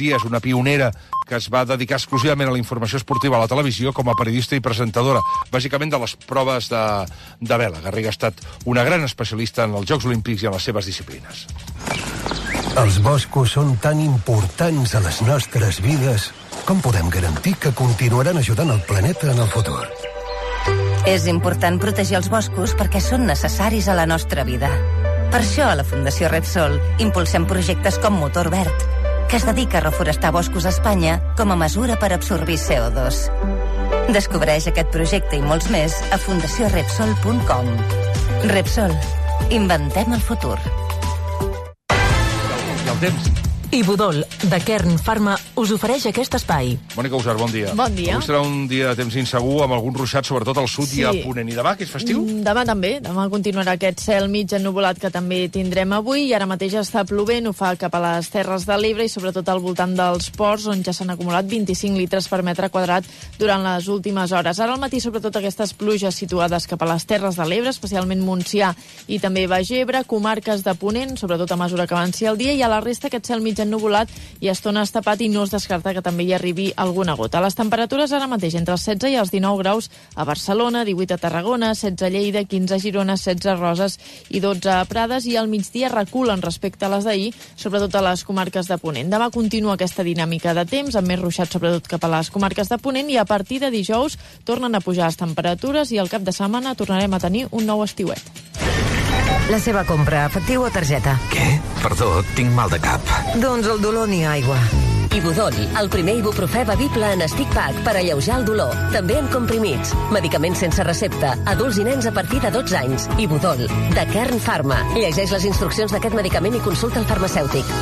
dies, una pionera que es va dedicar exclusivament a la informació esportiva a la televisió com a periodista i presentadora, bàsicament de les proves de vela. Garriga ha estat una gran especialista en els Jocs Olímpics i en les seves disciplines. Els boscos són tan importants a les nostres vides. Com podem garantir que continuaran ajudant el planeta en el futur? És important protegir els boscos perquè són necessaris a la nostra vida. Per això, a la Fundació Repsol, impulsem projectes com Motor Verd, que es dedica a reforestar boscos a Espanya com a mesura per absorbir CO2. Descobreix aquest projecte i molts més a fundaciorepsol.com. Repsol. Inventem el futur. I el temps. Ibudol, de Kern Pharma, us ofereix aquest espai. Mònica Usar, bon dia. Bon dia. Avui serà un dia de temps insegur, amb alguns ruixats, sobretot al sud i a Ponent. I demà, que és festiu? Demà també. Demà continuarà aquest cel mig ennuvolat que també tindrem avui, i ara mateix està plovent, ho fa cap a les Terres de l'Ebre i sobretot al voltant dels ports, on ja s'han acumulat 25 litres per metre quadrat durant les últimes hores. Ara al matí, sobretot aquestes pluges situades cap a les Terres de l'Ebre, especialment Montsià i també Baix Ebre, comarques de Ponent, sobretot a mesura que avanci el dia, i a la resta aquest cel mig ennuvolat i a estones tapat, i no es descarta que també hi arribi alguna gota. Les temperatures ara mateix entre els 16 i els 19 graus a Barcelona, 18 a Tarragona, 16 a Lleida, 15 a Girona, 16 a Roses i 12 a Prades, i al migdia reculen respecte a les d'ahir, sobretot a les comarques de Ponent. Demà continua aquesta dinàmica de temps, amb més ruixat sobretot cap a les comarques de Ponent, i a partir de dijous tornen a pujar les temperatures i al cap de setmana tornarem a tenir un nou estiuet. La seva compra, efectiu o targeta? Què? Perdó, tinc mal de cap. Doncs el dolor ni aigua. Ibudol, el primer ibuprofè bevible en stick pack per alleujar el dolor. També en comprimits. Medicaments sense recepta. Adults i nens a partir de 12 anys. Ibudol, de Kern Pharma. Llegeix les instruccions d'aquest medicament i consulta el farmacèutic.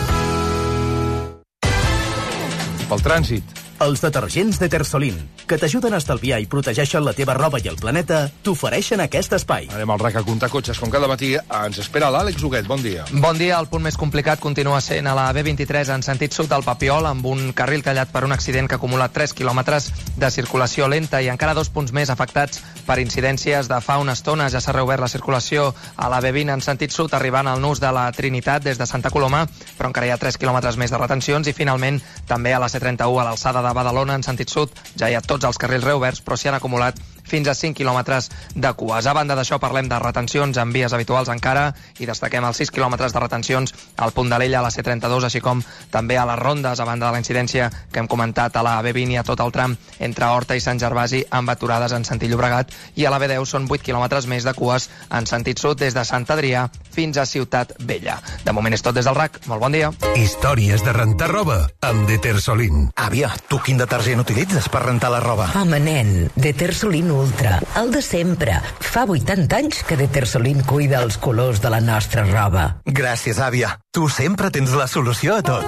Pel trànsit. Els detergents Detersolin, que t'ajuden a estalviar i protegeixen la teva roba i el planeta, t'ofereixen aquest espai. Anem al RAC a comptar cotxes. Com cada matí ens espera l'Àlex Huguet. Bon dia. Bon dia. El punt més complicat continua sent a la B23 en sentit sud del Papiol, amb un carril tallat per un accident que acumula 3 quilòmetres de circulació lenta, i encara 2 punts més afectats per incidències de fa una estona. Ja s'ha reobert la circulació a la B20 en sentit sud, arribant al nus de la Trinitat des de Santa Coloma, però encara hi ha 3 quilòmetres més de retencions, i finalment també a la C31 a l'alçada de Badalona en sentit sud. Ja hi ha tots els carrils reoberts, però s'hi han acumulat fins a 5 quilòmetres de cues. A banda d'això, parlem de retencions en vies habituals encara, i destaquem els 6 quilòmetres de retencions al punt de l'Ella, a la C32, així com també a les rondes, a banda de la incidència que hem comentat a la B20 i a tot el tram entre Horta i Sant Gervasi, amb aturades en sentit Llobregat, i a la B10 són 8 quilòmetres més de cues en sentit sud des de Sant Adrià fins a Ciutat Vella. De moment és tot des del RAC. Molt bon dia. Històries de rentar roba amb Detersolin. Àvia, tu quin detergent utilitzes per rentar la roba? Home, nen, Detersolin Ultra, el de sempre. Fa 80 anys que Detersolin cuida els colors de la nostra roba. Gràcies, àvia. Tu sempre tens la solució a tot.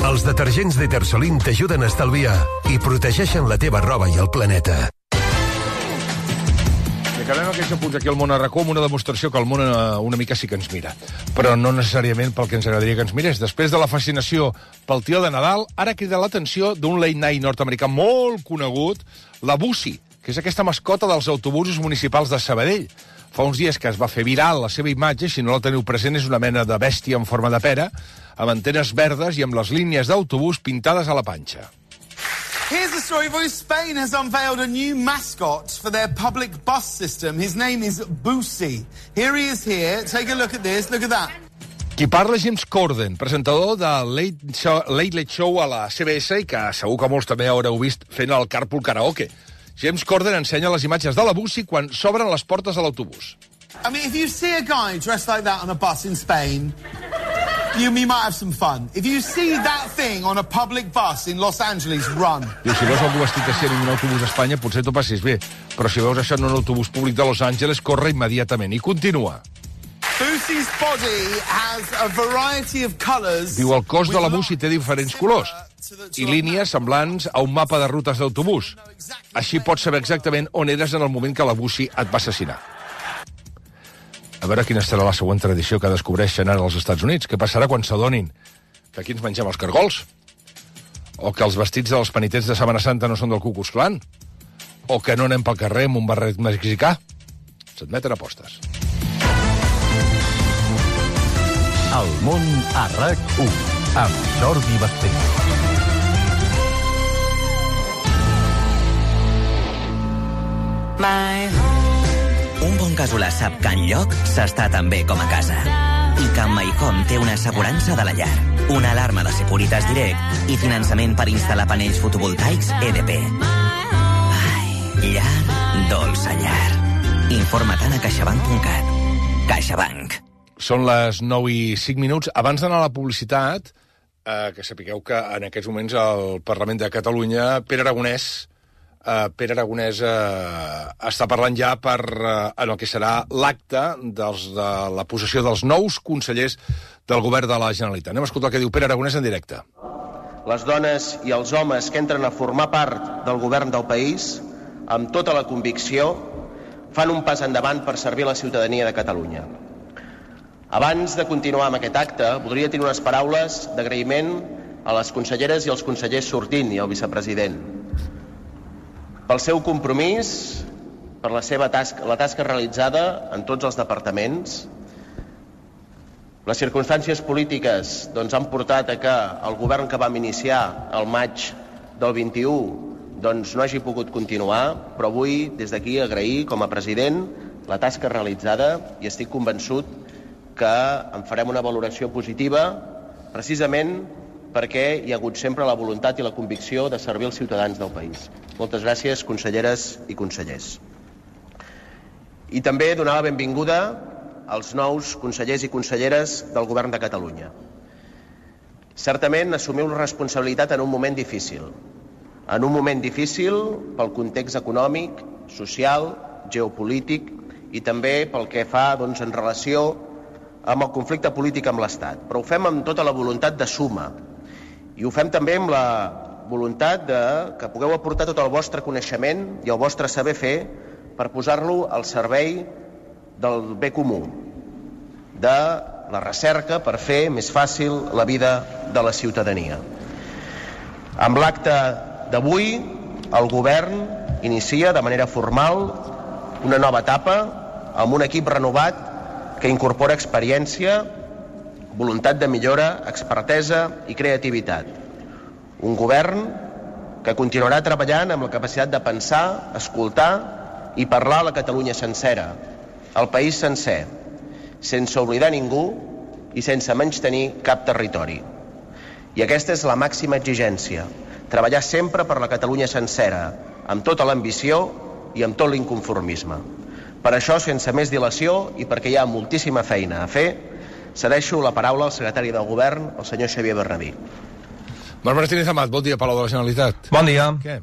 Els detergents Detersolin t'ajuden a estalviar i protegeixen la teva roba i el planeta. I acabem aquests apunts aquí al món a RAC1 amb una demostració que el món una mica sí que ens mira, però no necessàriament pel que ens agradaria que ens mirés. Després de la fascinació pel tio de Nadal, ara crida l'atenció d'un late night nord-americà molt conegut, la Bussi, que és aquesta mascota dels autobusos municipals de Sabadell. Fa uns dies que es va fer viral la seva imatge, si no la teniu present, és una mena de bèstia en forma de pera, amb antenes verdes i amb les línies d'autobús pintades a la panxa. Here's the story for you. Spain has unveiled a new mascot for their public bus system. His name is Bussi. Here he is here. Take a look at this. Look at that. Qui parla és James Corden, presentador de Late Late Show a la CBS, i que segur que molts també haureu vist fent el Carpool Karaoke. James Corden ensenya les imatges de la Bussi quan s'obren les portes de l'autobús. I mean, if you see a guy dressed like that on a bus in Spain, you might have some fun. If you see that thing on a public bus in Los Angeles, run. Diu, si veus algú vestit així en un autobús d'Espanya, potser t'ho passis bé. Però si veus això en un autobús públic de Los Angeles, corre immediatament. I continua. Bussi's body has a variety of colors. Diu, el cos de la Bussi té diferents colors i línies semblants a un mapa de rutes d'autobús. Així pots saber exactament on eres en el moment que la Bussi et va assassinar. A veure quina serà la següent tradició que descobreixen ara als Estats Units. Què passarà quan s'adonin que aquí ens mengem els cargols? O que els vestits dels penitents de Setmana Santa no són del Ku Klux Klan? O que no anem pel carrer amb un barret mexicà? S'admeten apostes. El món a RAC1 amb Jordi Basté. Càsula sap que enlloc s'està tan bé com a casa. I que en MyHome té una assegurança de la llar, una alarma de Securitas Direct i finançament per instal·lar panells fotovoltaics EDP. Ai, llar, dolça llar. Informa-te'n a caixabank.cat. CaixaBank. Són les 9:05. Abans d'anar a la publicitat, que sapigueu que en aquests moments al Parlament de Catalunya Pere Aragonès està parlant ja en el que serà l'acte de la possessió dels nous consellers del govern de la Generalitat. Anem a escoltar el que diu Pere Aragonès en directe. Les dones i els homes que entren a formar part del govern del país, amb tota la convicció, fan un pas endavant per servir la ciutadania de Catalunya. Abans de continuar amb aquest acte, voldria tenir unes paraules d'agraïment a les conselleres i als consellers sortint i al vicepresident. Pel seu compromís, per la tasca realitzada en tots els departaments. Les circumstàncies polítiques han portat a que el govern que vam iniciar al maig del 21 no hagi pogut continuar, però avui des d'aquí agrair com a president la tasca realitzada i estic convençut que en farem una valoració positiva precisament perquè hi ha hagut sempre la voluntat i la convicció de servir els ciutadans del país. Moltes gràcies, conselleres i consellers. I també donar la benvinguda als nous consellers i conselleres del Govern de Catalunya. Certament, assumiu la responsabilitat en un moment difícil. En un moment difícil pel context econòmic, social, geopolític i també pel que fa en relació amb el conflicte polític amb l'Estat. Però ho fem amb tota la voluntat de suma. I ho fem també amb la voluntat que pugueu aportar tot el vostre coneixement i el vostre saber fer per posar-lo al servei del bé comú, de la recerca per fer més fàcil la vida de la ciutadania. Amb l'acte d'avui, el govern inicia de manera formal una nova etapa amb un equip renovat que incorpora experiència, voluntat de millora, expertesa i creativitat. Un govern que continuarà treballant amb la capacitat de pensar, escoltar i parlar a la Catalunya sencera, al país sencer, sense oblidar ningú i sense menystenir cap territori. I aquesta és la màxima exigència, treballar sempre per la Catalunya sencera, amb tota l'ambició i amb tot l'inconformisme. Per això, sense més dilació i perquè hi ha moltíssima feina a fer, cedeixo la paraula al secretari del Govern, el senyor Xavier Bernabí. Marc Martínez Amat, bon dia, Palau de la Generalitat. Bon dia. Què?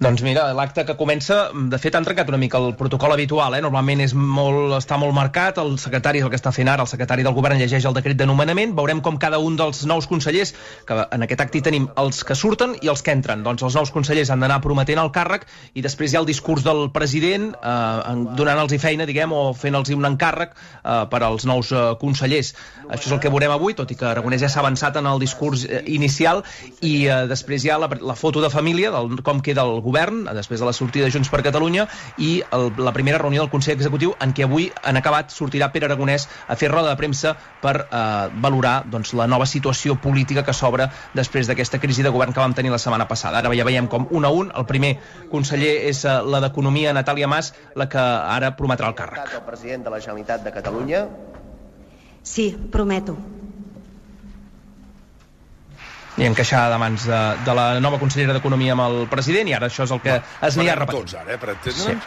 Doncs mira, l'acte que comença, de fet, han trencat una mica el protocol habitual, Normalment està molt marcat, el secretari és el que està fent ara, el secretari del govern llegeix el decret de nomenament, veurem com cada un dels nous consellers, que en aquest acte hi tenim els que surten i els que entren. Doncs els nous consellers han d'anar prometent el càrrec i després hi ha el discurs del president donant-los feina, o fent-los un encàrrec per als nous consellers. Això és el que veurem avui, tot i que Aragonès ja s'ha avançat en el discurs inicial i després hi ha la foto de família, com queda el govern, després de la sortida de Junts per Catalunya i la primera reunió del Consell Executiu en què avui, en acabat, sortirà Pere Aragonès a fer roda de premsa per valorar la nova situació política que s'obre després d'aquesta crisi de govern que vam tenir la setmana passada. Ara ja veiem com un a un, el primer conseller és la d'Economia, Natàlia Mas, la que ara prometrà el càrrec. El president de la Generalitat de Catalunya. Sí, prometo. I encaixar de mans de la nova consellera d'Economia amb el president, i ara això és el que es anirà repetint. Tots ara, per entendre'ns?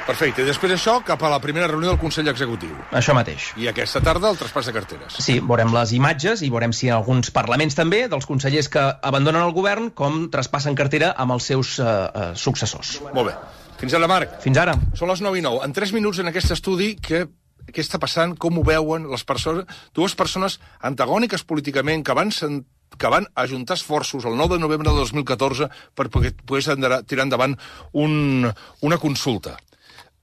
Perfecte. I després això, cap a la primera reunió del Consell Executiu. Això mateix. I aquesta tarda el traspàs de carteres. Sí, veurem les imatges i veurem si en alguns parlaments també, dels consellers que abandonen el govern, com traspassen cartera amb els seus successors. Molt bé. Fins ara, Marc. Fins ara. Són les 9:09. En 3 minuts en aquest estudi, què està passant, com ho veuen les persones, dues persones antagòniques políticament que van ajuntar esforços el 9 de novembre de 2014 per poder tirar endavant una consulta.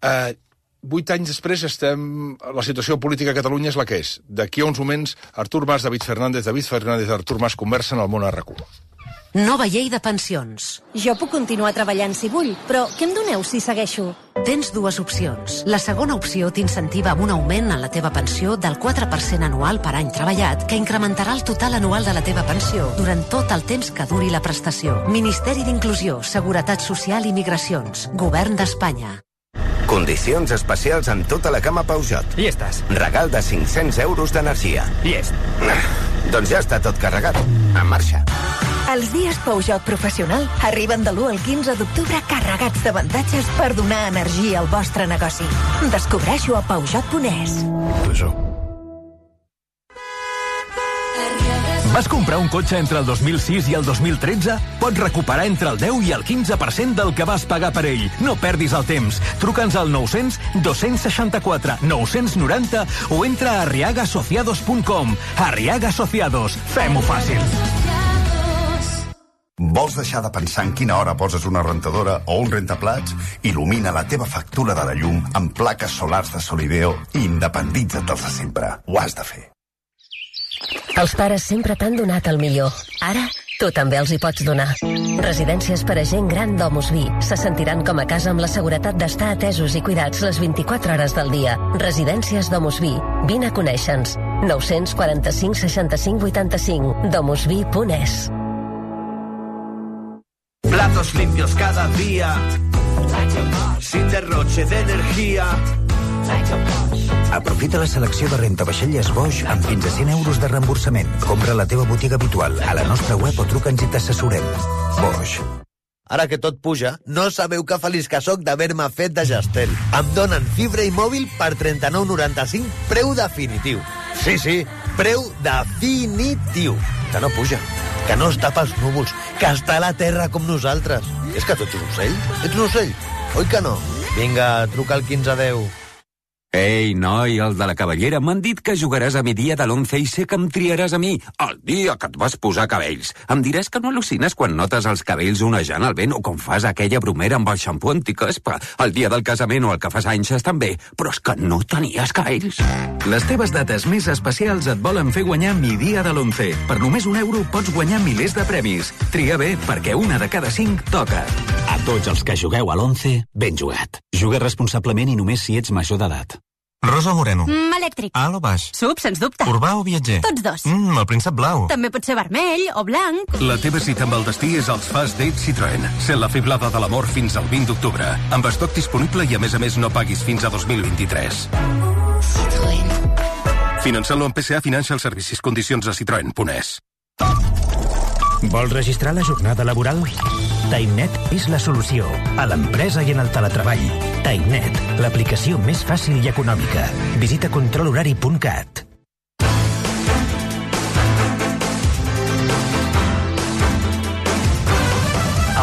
8 anys després la situació política a Catalunya és la que és. D'aquí a uns moments, Artur Mas, David Fernández, Artur Mas conversen al món a RAC1. Nova llei de pensions. Jo puc continuar treballant si vull, però què em doneu si segueixo? Tens dues opcions. La segona opció t'incentiva amb un augment en la teva pensió del 4% anual per any treballat, que incrementarà el total anual de la teva pensió durant tot el temps que duri la prestació. Ministeri d'Inclusió, Seguretat Social i Migracions. Govern d'Espanya. Condicions especials en tota la gamma Peugeot. Llestes. Regal de 500 euros d'energia. Llest. Doncs ja està tot carregat. En marxa. Els dies Peugeot Professional arriben de l'1 al 15 d'octubre carregats d'avantatges per donar energia al vostre negoci. Descobreixo a Peugeot.es. Vas comprar un cotxe entre el 2006 i el 2013? Pots recuperar entre el 10 i el 15% del que vas pagar per ell. No perdis el temps. Truca'ns al 900-264 990 o entra a arriagasociados.com. Arriaga Asociados. Fem-ho fàcil. Vols deixar de pensar en quina hora poses una rentadora o un rentaplats? Il·lumina la teva factura de la llum amb plaques solars de Solideo i independitza't-els de sempre. Ho has de fer. Els pares sempre t'han donat el millor. Ara, tu també els hi pots donar. Residències per a gent gran Domus Vi. Se sentiran com a casa amb la seguretat d'estar atesos i cuidats les 24 hores del dia. Residències Domus Vi. Vine a conèixer-nos. 945 65 85. domusvi.es. Platos limpios cada día, sin derroche de energía. Aprofita la selecció de rentavaixelles Bosch amb fins a 100 euros de reemborsament. Compra a la teva botiga habitual, a la nostra web o truca'ns i t'assessorem. Bosch. Ara que tot puja, no sabeu que feliç que soc d'haver-me fet de Gestel. Em donen fibra i mòbil per 39,95, preu definitiu. Sí, preu definitiu. Que no puja, que no està pels núvols, que està a la terra com nosaltres. És que tu ets un ocell? Ets un ocell? Oi que no? Vinga, truca al 1510. Ei, noi, el de la Cavallera, m'han dit que jugaràs a mi dia de l'11 i sé que em triaràs a mi, el dia que et vas posar cabells. Em diràs que no al·lucines quan notes els cabells onejant al vent o com fas aquella bromera amb el xampú anticaspa. El dia del casament o el que fas anys estan bé, però és que no tenies cabells. Les teves dates més especials et volen fer guanyar mi dia de l'11. Per només €1 pots guanyar milers de premis. Tria bé, perquè una de cada 5 toca. A tots els que jugueu a l'11, ben jugat. Juga responsablement i només si ets major d'edat. Rosa o moreno? Elèctric. Alt o baix? Sub, sens dubte. Urbà o viatger? Tots dos. El príncep blau. També pot ser vermell o blanc. La teva cita amb el destí és als Fast Dates Citroën. Sent la fiblada de l'amor fins al 20 d'octubre. Amb estoc disponible i a més no paguis fins a 2023. Citroën. Finançant-lo amb PSA Financial Services. Condicions a Citroën.es. Vols registrar la jornada laboral? TimeNet és la solució a l'empresa i en el teletreball. TimeNet, l'aplicació més fàcil i econòmica. Visita controlhorari.cat.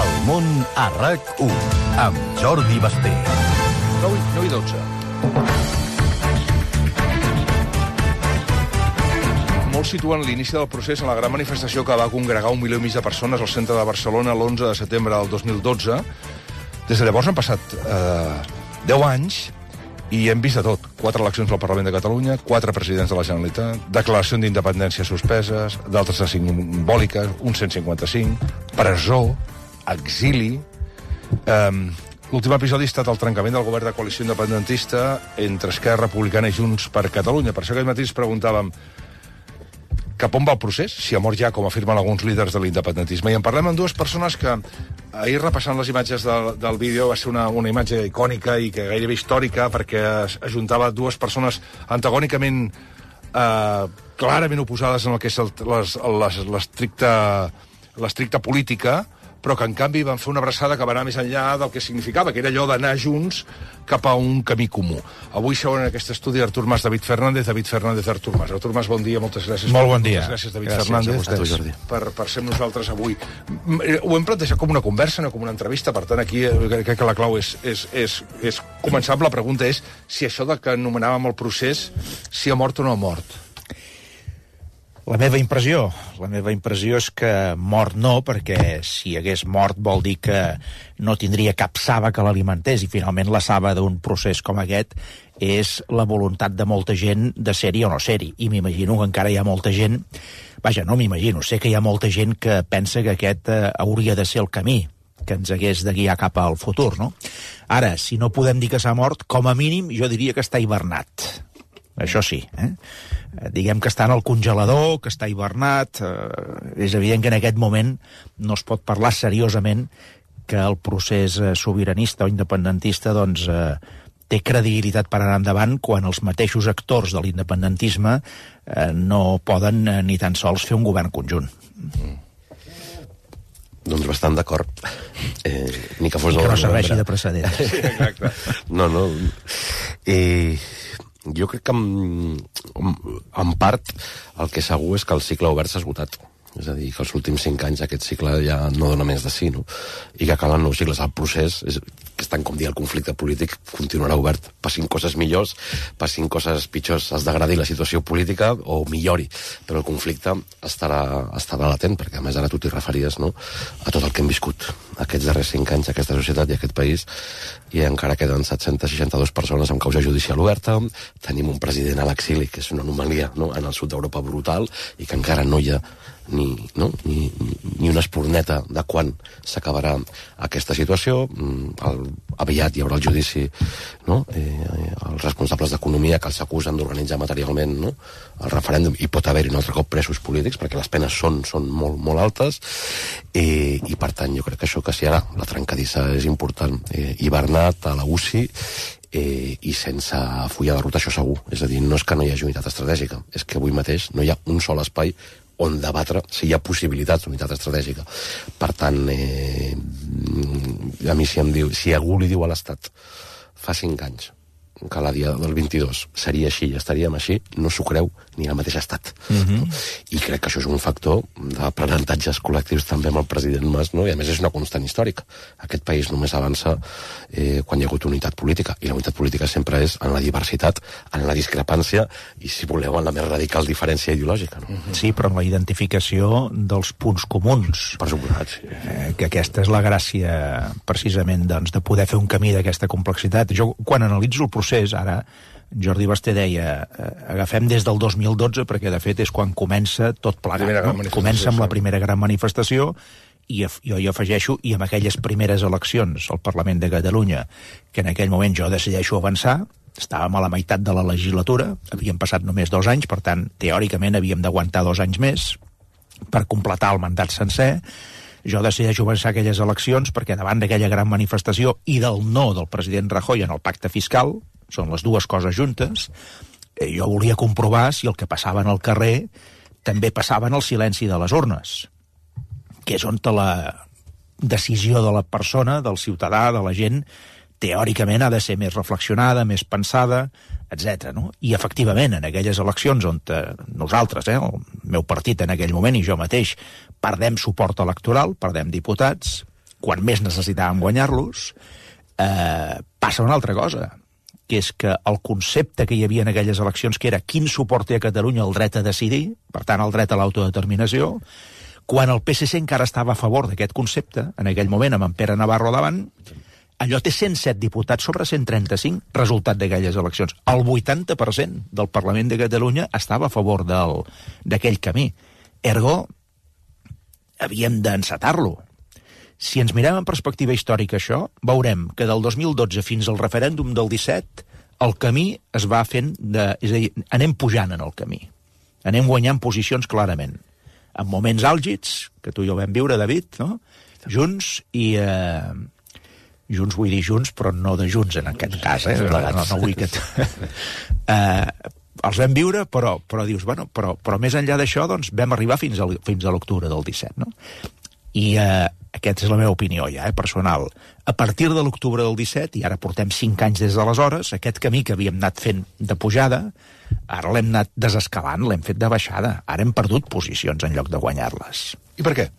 El món a RAC1 amb Jordi Basté. 9 i 12. Molts situen l'inici del procés en la gran manifestació que va congregar 1,5 milió de persones al centre de Barcelona l'11 de setembre del 2012. Des de llavors han passat 10 anys i hem vist de tot. 4 eleccions al Parlament de Catalunya, 4 presidents de la Generalitat, declaració d'independència suspeses, d'altres de simbòliques, un 155, presó, exili. L'últim episodi ha estat el trencament del govern de coalició independentista entre Esquerra Republicana i Junts per Catalunya. Per això aquest matí ens preguntàvem cap on va el procés, si ha mort ja, com afirmen alguns líders de l'independentisme. I en parlem amb dues persones que, ahir repassant les imatges del vídeo, va ser una imatge icònica i que gairebé històrica, perquè ajuntava dues persones antagònicament clarament oposades en el que és l'estricta política, però que en canvi van fer una abraçada que va anar més enllà del que significava, que era allò d'anar junts cap a un camí comú. Avui seuen en aquest estudi Artur Mas, David Fernández, Artur Mas. Artur Mas, bon dia, moltes gràcies. Molt bon dia. Moltes gràcies, David Fernández, per ser amb nosaltres avui. Ho hem plantejat com una conversa, no com una entrevista, per tant, aquí crec que la clau és començar amb la pregunta és si això que anomenàvem el procés, si ha mort o no ha mort. La meva impressió és que mort no, perquè si hagués mort vol dir que no tindria cap saba que l'alimentés, i finalment la saba d'un procés com aquest és la voluntat de molta gent de ser-hi o no ser-hi, i m'imagino que encara hi ha molta gent, no m'imagino, sé que hi ha molta gent que pensa que aquest hauria de ser el camí que ens hagués de guiar cap al futur, no? Ara, si no podem dir que s'ha mort, com a mínim jo diria que està hivernat. Això sí, diguem que està en el congelador, que està hivernat. És evident que en aquest moment no es pot parlar seriosament que el procés sobiranista o independentista té credibilitat per anar endavant quan els mateixos actors de l'independentisme no poden ni tan sols fer un govern conjunt. Doncs bastant d'acord. Ni que fos... I que no serveixi de precedent. Sí, exacte. No. Jo crec que en part el que segur és que el cicle obert s'ha esgotat. És a dir, que els últims 5 anys aquest cicle ja no dona més de sí, no? I que calen nous cicles. El procés, que és tant com dir el conflicte polític, continuarà obert. Passin coses millors, passin coses pitjors, es degradi la situació política o millori. Però el conflicte estarà latent, perquè a més ara tu t'hi referies, no?, a tot el que hem viscut aquests darrers 5 anys, aquesta societat i aquest país, i encara queden 762 persones amb causa judicial oberta, tenim un president a l'exili, que és una anomalia, no?, en el sud d'Europa brutal, i que encara no hi ha ni una espurneta de quan s'acabarà aquesta situació. Aviat hi haurà el judici, no?, els responsables d'economia que els acusen d'organitzar materialment, no?, el referèndum, i pot haver-hi un altre cop presos polítics perquè les penes són molt, molt altes, i per tant jo crec que això, que si ara la trencadissa és important, hivernat a la UCI, i sense full de ruta, això segur. És a dir, no és que no hi hagi unitat estratègica, és que avui mateix no hi ha un sol espai on debatre si hi ha possibilitats d'unitat estratègica. Per tant, a mi si algú li diu a l'Estat fa 5 anys que la dia del 22 seria així i estaríem així, no s'ho creu ni el mateix estat. No? I crec que això és un factor d'aprenentatges col·lectius també amb el president Mas, no? I a més és una constant històrica. Aquest país només avança quan hi ha hagut unitat política, i la unitat política sempre és en la diversitat, en la discrepància i, si voleu, en la més radical diferència ideològica. No? Sí, però en la identificació dels punts comuns. Per suposat, sí. Que aquesta és la gràcia, precisament, doncs, de poder fer un camí d'aquesta complexitat. Jo, quan analitzo el procés, ara Jordi Basté deia, agafem des del 2012, perquè de fet és quan comença tot plegat, no? Comença amb la primera gran manifestació, i jo hi afegeixo, i amb aquelles primeres eleccions al Parlament de Catalunya, que en aquell moment jo decideixo avançar, estàvem a la meitat de la legislatura, havíem passat només 2 anys, per tant, teòricament havíem d'aguantar 2 anys més per completar el mandat sencer. Jo decideixo avançar aquelles eleccions perquè davant d'aquella gran manifestació i del no del president Rajoy en el pacte fiscal, són les dues coses juntes, jo volia comprovar si el que passava en el carrer també passava en el silenci de les urnes, que és on la decisió de la persona, del ciutadà, de la gent, teòricament ha de ser més reflexionada, més pensada, etc. No? I efectivament, en aquelles eleccions on nosaltres, el meu partit en aquell moment i jo mateix, perdem suport electoral, perdem diputats, quan més necessitàvem guanyar-los, passa una altra cosa, que és que el concepte que hi havia en aquelles eleccions, que era quin suport té a Catalunya el dret a decidir, per tant el dret a l'autodeterminació, quan el PSC encara estava a favor d'aquest concepte, en aquell moment amb en Pere Navarro davant, allò té 107 diputats sobre 135, resultat d'aquelles eleccions. El 80% del Parlament de Catalunya estava a favor d'aquell camí. Ergo, havíem d'encetar-lo. Si ens mirem en perspectiva històrica això, veurem que del 2012 fins al referèndum del 17 el camí es va fent és a dir, anem pujant en el camí. Anem guanyant posicions clarament. En moments àlgids, que tu i jo vam viure, David, no? Junts i... Junts vull dir junts, però no de junts en aquest cas, no vull que... els vam viure, però dius, bueno, però més enllà d'això, doncs, vam arribar fins a l'octubre del 17, no? I aquesta és la meva opinió ja, personal. A partir de l'octubre del 17, i ara portem 5 anys des d'aleshores, aquest camí que havíem anat fent de pujada, ara l'hem anat desescalant, l'hem fet de baixada. Ara hem perdut posicions en lloc de guanyar-les. I per què?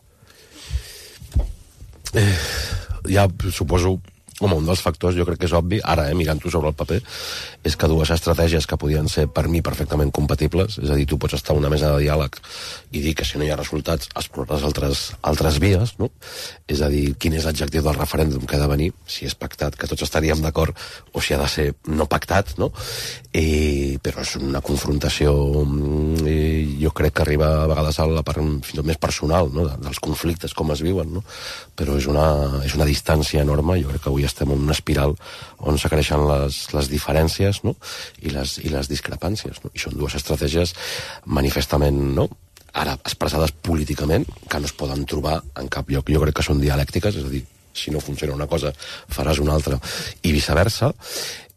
Ja suposo, home, un dels factors, jo crec que és obvi, ara, mirant-ho sobre el paper, és que dues estratègies que podien ser, per mi, perfectament compatibles, és a dir, tu pots estar a una mesa de diàleg i dir que si no hi ha resultats explores altres vies, no? És a dir, quin és l'adjectiu del referèndum que ha de venir, si és pactat, que tots estaríem d'acord, o si ha de ser no pactat, no? Però és una confrontació, jo crec que arriba a vegades a la part fins i tot més personal, no? Dels conflictes, com es viuen, no? Però és una distància enorme, jo crec que avui estem en una espiral on s'acreixen les diferències, no? I les discrepàncies, no? I són dues estratègies manifestament, no?, ara expressades políticament, que no es poden trobar en cap lloc. Jo crec que són dialèctiques, és a dir, si no funciona una cosa, faràs una altra, i viceversa,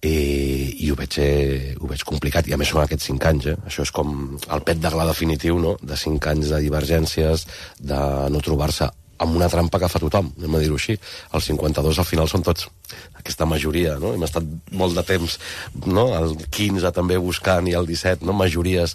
i ho veig complicat, i a més són aquests 5 anys, això és com el pet de gla definitiu, no?, de 5 anys de divergències, de no trobar-se amb una trampa que fa tothom, anem a dir-ho així. Els 52 al final són tots aquesta majoria, no? Hem estat molt de temps, no?, el 15 també buscant i el 17, no?, majories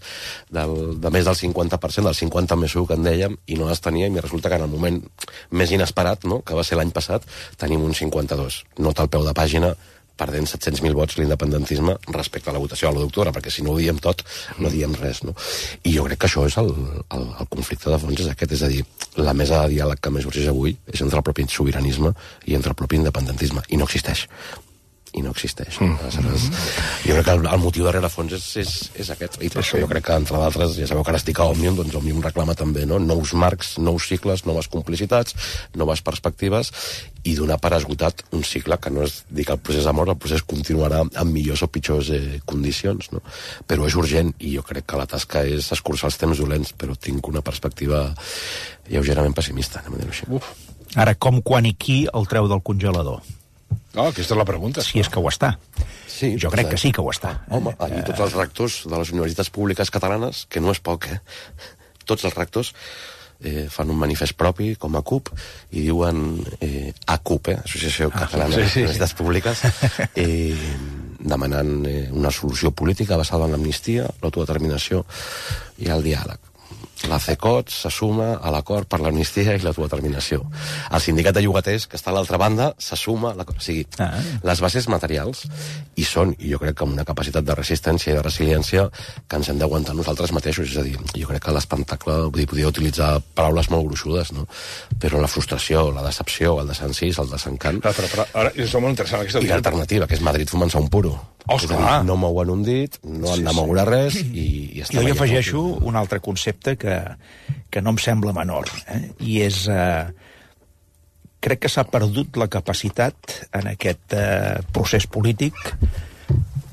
de més del 50%, del 50 més 1 que en dèiem, i no les teníem, i resulta que en el moment més inesperat, no?, que va ser l'any passat, tenim un 52. Nota al peu de pàgina, perdent 700.000 vots l'independentisme respecte a la votació de l'1 d'octubre, perquè si no ho diem tot, no diem res, no? I jo crec que això és el conflicte de fons, és aquest, és a dir, la mesa de diàleg que més urgeix avui és entre el propi sobiranisme i entre el propi independentisme, i no existeix. I no existeix. Jo crec que el motiu darrere fons és aquest. I per això jo crec que, entre d'altres, ja sabeu que ara estic a Òmnium, doncs Òmnium reclama també, no?, nous marcs, nous cicles, noves complicitats, noves perspectives, i donar per esgotat un cicle que no és dir que el procés ha mort, el procés continuarà en millors o pitjors condicions, no? Però és urgent, i jo crec que la tasca és escurçar els temps dolents, però tinc una perspectiva lleugerament pessimista, anem a dir-ho així. Ara, com, quan i qui el treu del congelador? Aquesta és la pregunta. Si és que ho està. Sí, jo crec que sí que ho està. Home, allí tots els rectors de les universitats públiques catalanes, que no és poc, tots els rectors fan un manifest propi, com a CUP, i diuen ACUP, Associació Catalana de Universitats Públiques, demanant una solució política basada en l'amnistia, l'autodeterminació i el diàleg. La CECOT se suma a l'acord per l'amnistia i l'autodeterminació. El sindicat de llogaters, que està a l'altra banda, se suma a l'acord. O sigui, les bases materials hi són, i jo crec que amb una capacitat de resistència i de resiliència que ens hem d'aguantar nosaltres mateixos. És a dir, jo crec que l'espectacle, podria utilitzar paraules molt gruixudes, no? Però la frustració, la decepció, el desencís, el desencant... Però ara és molt interessant aquesta... I l'alternativa, que és Madrid fumant-se un puro. No mouen un dit, no han de moure res, i està... Jo hi afegeixo un altre concepte que no em sembla menor, i és... crec que s'ha perdut la capacitat en aquest procés polític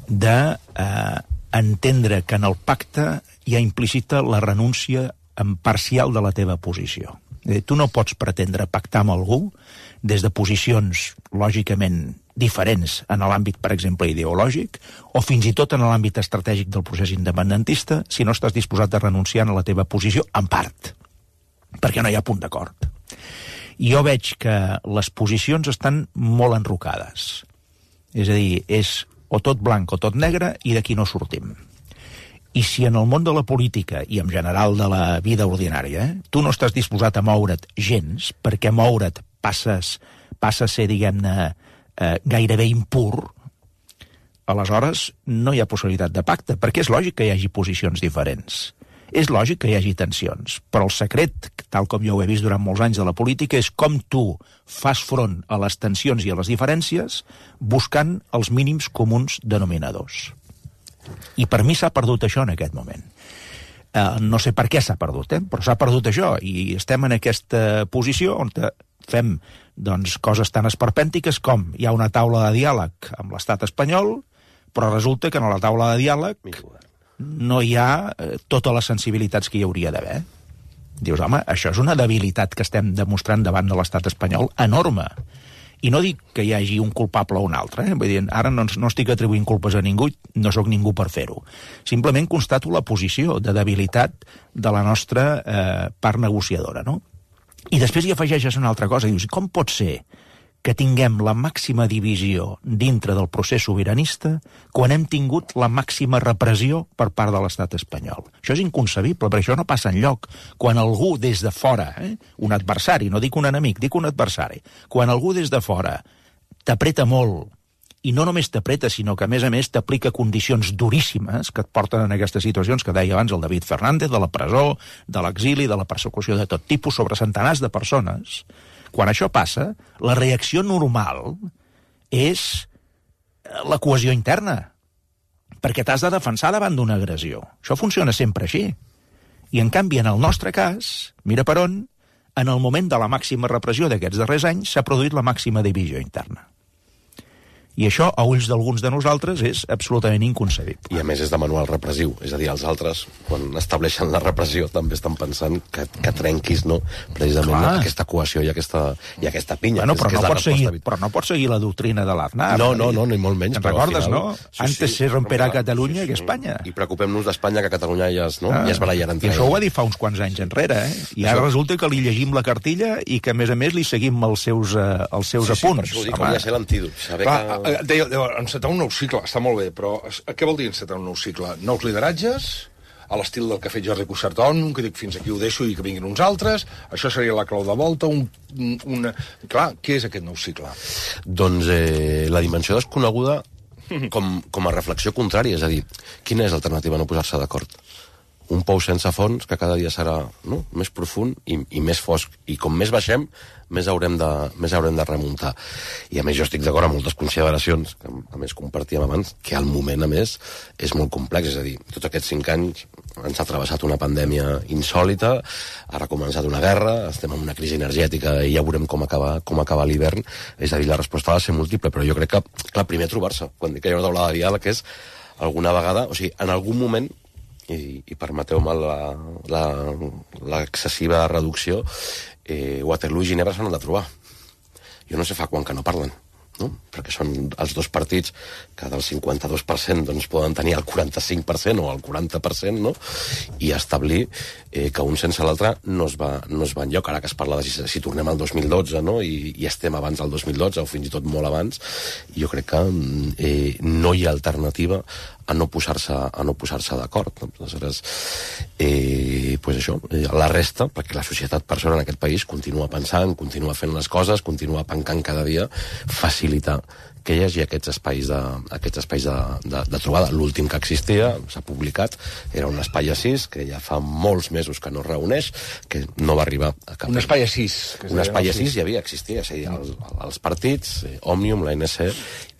d'entendre que en el pacte hi ha implícita la renúncia parcial de la teva posició. Tu no pots pretendre pactar amb algú des de posicions lògicament diferents en l'àmbit, per exemple, ideològic, o fins i tot en l'àmbit estratègic del procés independentista, si no estàs disposat a renunciar a la teva posició, en part, perquè no hi ha punt d'acord. I jo veig que les posicions estan molt enrocades. És a dir, és o tot blanc o tot negre, i d'aquí no sortim. I si en el món de la política, i en general de la vida ordinària, tu no estàs disposat a moure't gens, perquè moure't passa a ser, diguem-ne, gairebé impur, aleshores no hi ha possibilitat de pacte, perquè és lògic que hi hagi posicions diferents. És lògic que hi hagi tensions, però el secret, tal com jo ho he vist durant molts anys de la política, és com tu fas front a les tensions i a les diferències buscant els mínims comuns denominadors. I per mi s'ha perdut això en aquest moment. No sé per què s'ha perdut, però s'ha perdut això, i estem en aquesta posició on fem coses tan esperpèntiques com hi ha una taula de diàleg amb l'estat espanyol, però resulta que en la taula de diàleg no hi ha totes les sensibilitats que hi hauria d'haver. Dius, home, això és una debilitat que estem demostrant davant de l'estat espanyol enorme. I no dic que hi hagi un culpable o un altre, vull dir, ara no estic atribuint culpes a ningú, no sóc ningú per fer-ho. Simplement constato la posició de debilitat de la nostra part negociadora, no? I després hi afegeixes una altra cosa, i dius, com pot ser que tinguem la màxima divisió dintre del procés sobiranista quan hem tingut la màxima repressió per part de l'estat espanyol? Això és inconcebible, perquè això no passa enlloc. Quan algú des de fora, un adversari, no dic un enemic, dic un adversari, quan algú des de fora t'apreta molt, i no només t'apreta, sinó que a més t'aplica condicions duríssimes que et porten en aquestes situacions que deia abans el David Fernández, de la presó, de l'exili, de la persecució de tot tipus sobre centenars de persones. Quan això passa, la reacció normal és la cohesió interna, perquè t'has de defensar davant d'una agressió. Això funciona sempre així. I en canvi, en el nostre cas, mira per on, en el moment de la màxima repressió d'aquests darrers anys s'ha produït la màxima divisió interna. I això, a ulls d'alguns de nosaltres, és absolutament inconcebible. I a més és de manual repressiu, és a dir, els altres, quan estableixen la repressió, també estan pensant que trenquis, no?, precisament aquesta cohesió i aquesta pinya. Bueno, però no pots seguir la doctrina de l'Aznar. No, ni molt menys. Te'n recordes, no? Antes se romperà Catalunya que Espanya. I preocupem-nos d'Espanya, que Catalunya ja es barallarà entre ells. I això ho va dir fa uns quants anys enrere, I ara resulta que li llegim la cartilla i que, a més, li seguim els seus apunts. Sí, per això ho dic, hauria de ser l'antídot. Deia, encetar un nou cicle, està molt bé, però què vol dir encetar un nou cicle? Nous lideratges, a l'estil del que ha fet Jordi Cuixart-On, que dic fins aquí ho deixo i que vinguin uns altres, això seria la clau de volta, Clar, què és aquest nou cicle? Doncs la dimensió desconeguda com a reflexió contrària, és a dir, quina és l'alternativa a no posar-se d'acord? Un pou sense fons que cada dia serà més profund i més fosc, i com més baixem, més haurem de remuntar. I a més jo estic d'acord amb moltes consideracions que a més compartíem abans, que al moment a més és molt complex, és a dir, tots aquests 5 anys ens ha travessat una pandèmia insòlita, ara ha començat una guerra, estem en una crisi energètica i ja veurem com acaba l'hivern, és a dir, la resposta ha de ser múltiple, però jo crec que, clar, primer trobar-se, quan dic que hi ha una taula de diàleg, és alguna vegada, o sigui, en algun moment, i permeteu-me l'excessiva reducció, Waterloo i Ginebra s'han de trobar. Jo no sé fa quan que no parlen, no? Perquè són els dos partits que del 52% doncs, poden tenir el 45% o el 40%, no? I establir que un sense l'altre no es va enlloc. Ara que es parla de si tornem al 2012, no? I estem abans del 2012 o fins i tot molt abans, jo crec que no hi ha alternativa a no posar-se d'acord. Aleshores, pues això, la resta, perquè la societat per sort en aquest país continua pensant, continua fent les coses, continua pencant cada dia, facilitar que hi hagi aquests espais de trobada. L'últim que existia, s'ha publicat, era un espai assís, que ja fa molts mesos que no es reuneix, que no va arribar a cap... Un espai assís. Un espai assís existia, és a dir, els partits, Òmnium, l'ANC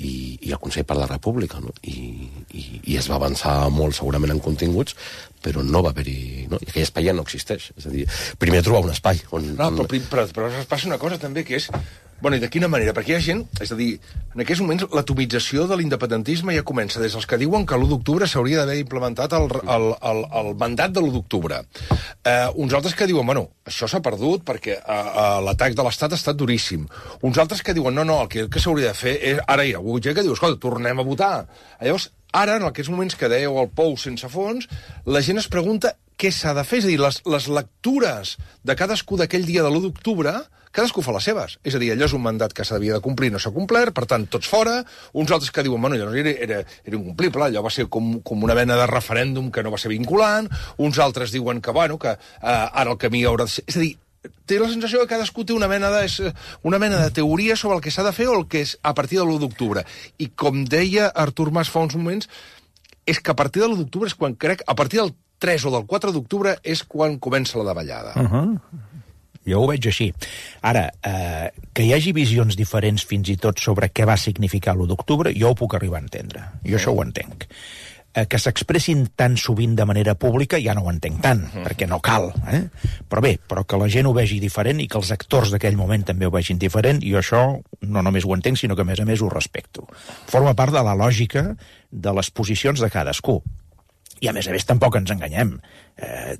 i el Consell per la República, no? I es va avançar molt segurament en continguts, però no va haver-hi... No? I aquell espai ja no existeix. És a dir, primer trobar un espai on... No, però passa una cosa també, que és... Bueno, i de quina manera? Perquè hi ha gent... És a dir, en aquests moments l'atomització de l'independentisme ja comença des dels que diuen que l'1 d'octubre s'hauria d'haver implementat el mandat de l'1 d'octubre. Uns altres que diuen, bueno, això s'ha perdut perquè l'atac de l'Estat ha estat duríssim. Uns altres que diuen, no, el que s'hauria de fer és... Ara hi ha algú que diu, escolta, tornem a votar. Llavors, ara, en aquests moments que dèieu el pou sense fons, la gent es pregunta què s'ha de fer. És a dir, les lectures de cadascú d'aquell dia de l'1 d'octubre, cadascú fa les seves. És a dir, allò és un mandat que s'havia de complir, no s'ha complert, per tant, tots fora. Uns altres que diuen, bueno, allò era incomplible, allò va ser com una mena de referèndum que no va ser vinculant. Uns altres diuen que, bueno, que ara el camí haurà de ser... És a dir, té la sensació que cadascú té una mena de teoria sobre el que s'ha de fer o el que és a partir de l'1 d'octubre. I com deia Artur Mas fa uns moments, és que a partir de l'1 d'octubre és quan crec... A partir del 3 o del 4 d'octubre és quan comença la davallada. Jo ho veig així. Ara, que hi hagi visions diferents fins i tot sobre què va significar l'1 d'octubre, jo ho puc arribar a entendre. Jo això ho entenc. Que s'expressin tan sovint de manera pública ja no ho entenc tant, perquè no cal. Però que la gent ho vegi diferent i que els actors d'aquell moment també ho vegin diferent, i això no només ho entenc, sinó que a més ho respecto. Forma part de la lògica de les posicions de cadascú. I a més tampoc ens enganyem.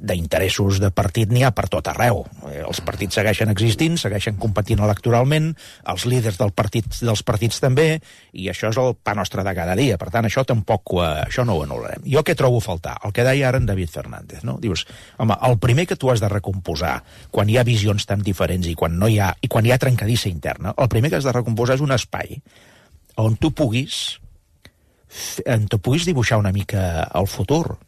D'interessos de partit n'hi ha per tot arreu. Els partits segueixen existint, segueixen competint electoralment, els líders dels partits també, i això és el pa nostre de cada dia. Per tant, això no ho anul·larem. Jo què trobo a faltar? El que deia ara en David Fernández, no? Dius, home, el primer que tu has de recomposar quan hi ha visions tan diferents i quan hi ha trencadissa interna, el primer que has de recomposar és un espai on tu puguis dibuixar una mica el futur.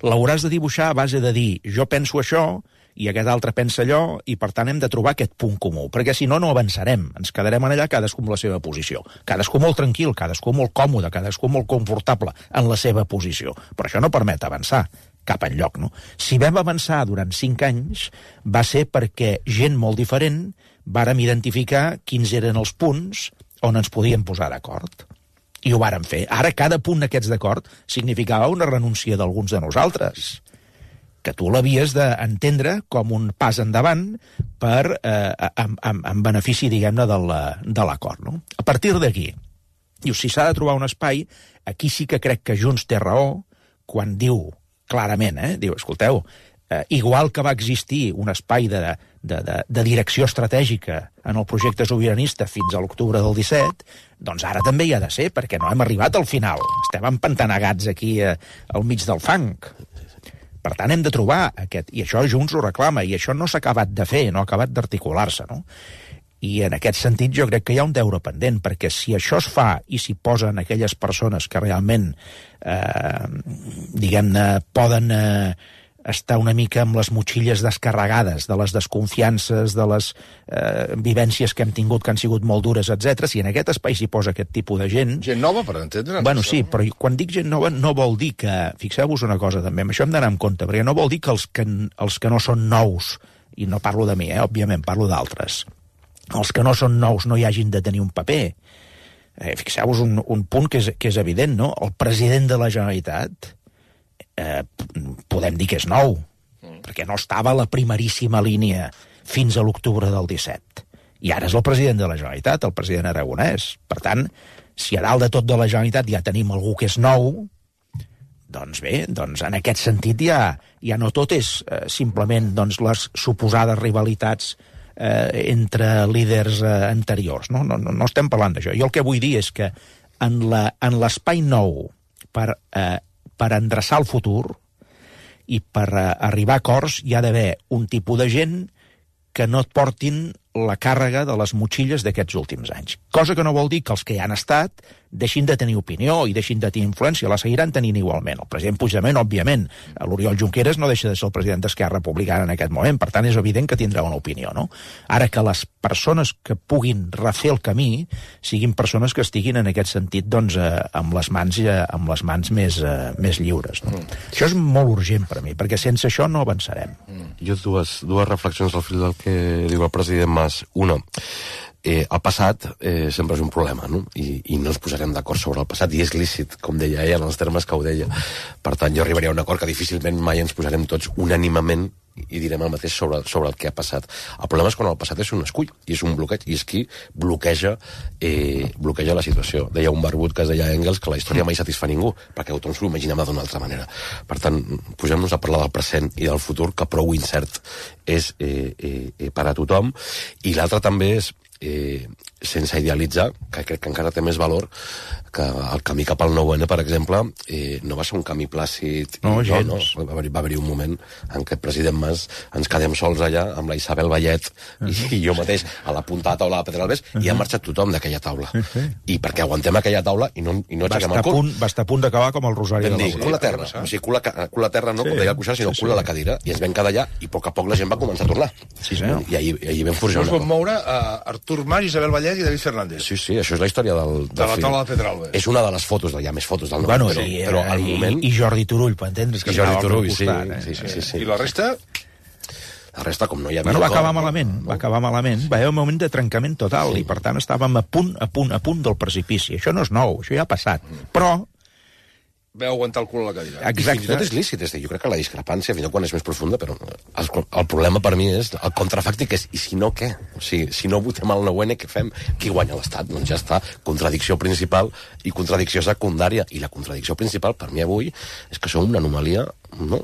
L'hauràs de dibuixar a base de dir jo penso això i aquest altre pensa allò i per tant hem de trobar aquest punt comú, perquè si no, no avançarem, ens quedarem allà cadascú amb la seva posició, cadascú molt tranquil, cadascú molt còmode, cadascú molt confortable en la seva posició, però això no permet avançar cap enlloc, no? Si vam avançar durant 5 anys va ser perquè gent molt diferent vàrem identificar quins eren els punts on ens podíem posar d'acord. I ho vàrem fer. Ara, cada punt d'aquests d'acord significava una renúncia d'alguns de nosaltres, que tu l'havies d'entendre com un pas endavant en benefici, diguem-ne, de l'acord. No? A partir d'aquí, Diu, si s'ha de trobar un espai, aquí sí que crec que Junts té raó quan diu clarament, diu, escolteu, igual que va existir un espai de direcció estratègica en el projecte sobiranista fins a l'octubre del 17, doncs ara també hi ha de ser, perquè no hem arribat al final. Estem empantanegats aquí al mig del fang. Per tant, hem de trobar aquest... I això Junts ho reclama, i això no s'ha acabat de fer, no ha acabat d'articular-se, no? I en aquest sentit jo crec que hi ha un deure pendent, perquè si això es fa i s'hi posen aquelles persones que realment, diguem-ne, poden estar una mica amb les motxilles descarregades de les desconfiances, de les vivències que hem tingut que han sigut molt dures, etc. Si en aquest espai s'hi posa aquest tipus de gent... Gent nova, per entendre. Bueno, sí, però quan dic gent nova no vol dir que... Fixeu-vos una cosa també, amb això hem d'anar en compte, perquè no vol dir que els que no són nous, i no parlo de mi, òbviament, parlo d'altres, els que no són nous no hi hagin de tenir un paper. Fixeu-vos un punt que és evident, no? El president de la Generalitat podem dir que és nou, perquè no estava a la primeríssima línia fins a l'octubre del 17. I ara és el president de la Generalitat, el president Aragonès. Per tant, si a dalt de tot de la Generalitat ja tenim algú que és nou, doncs bé, doncs en aquest sentit ja no tot és simplement les suposades rivalitats entre líders anteriors. No estem parlant d'això. Jo el que vull dir és que en l'espai nou per endreçar el futur i per arribar a acords hi ha d'haver un tipus de gent que no et portin la càrrega de les motxilles d'aquests últims anys. Cosa que no vol dir que els que hi han estat deixin de tenir opinió i deixin de tenir influència, la seguiran tenint igualment. El president Puigdemont, òbviament, l'Oriol Junqueras no deixa de ser el president d'Esquerra Republicana en aquest moment, per tant és evident que tindrà una opinió, no? Ara que les persones que puguin refer el camí siguin persones que estiguin en aquest sentit doncs, amb les mans més lliures. No? Això és molt urgent per a mi, perquè sense això no avançarem. Jo dues reflexions al fil del que diu el president Mas. Una, el passat sempre és un problema, no? I no ens posarem d'acord sobre el passat, i és lícit, com deia ella, en els termes que ho deia. Per tant, jo arribaria a un acord que difícilment mai ens posarem tots unànimement i direm el mateix sobre el que ha passat. El problema és quan el passat és un escull, i és un bloqueig, i és qui bloqueja la situació. Deia un barbut que es deia Engels que la història mai satisfà ningú, perquè tothom s'ho imaginem d'una altra manera. Per tant, posem-nos a parlar del present i del futur, que prou incert és per a tothom. I l'altre també és, sense idealitzar, que crec que encara té més valor, que el camí cap al 9-N, per exemple, no va ser un camí plàcid. No, gens. No. Va haver-hi un moment en què el president Mas ens quedem sols allà amb la Isabel Vallet i jo mateix a la punta de la taula de Pedralbes i ha marxat tothom d'aquella taula. I perquè aguantem aquella taula i no aixequem el cul. Va estar a punt d'acabar com el Rosari de la Cul a terra. O sigui, cul a terra no, com deia el Cuixart, sinó cul a la cadira. I ens vam quedar allà i a poc a poc la gent va començar a tornar. Sí, senyor. I ahir vam forjar una cosa. Us vam moure Artur Mas, Isabel Vallet i David Fernández. Sí, això és la història del de la taula de Pedralbes. És una de les fotos, hi ha més fotos del nom, bueno, però al moment... I Jordi Turull, per entendre's, que Jordi Turull, sí. I la resta? La resta, com no hi havia... Bueno, va acabar malament. Va haver un moment de trencament total, i per tant estàvem a punt del precipici. Això no és nou, això ja ha passat. Però... Veu aguantar el cul a la cadira. Exacte. I fins i tot és lícit, jo crec que la discrepància, fins i tot quan és més profunda, però el problema per mi és, el contrafàctic és, i si no, què? O sigui, si no votem el 9-N, què fem? Qui guanya l'Estat? Doncs ja està, contradicció principal i contradicció secundària. I la contradicció principal, per mi avui, és que som una anomalia, no?,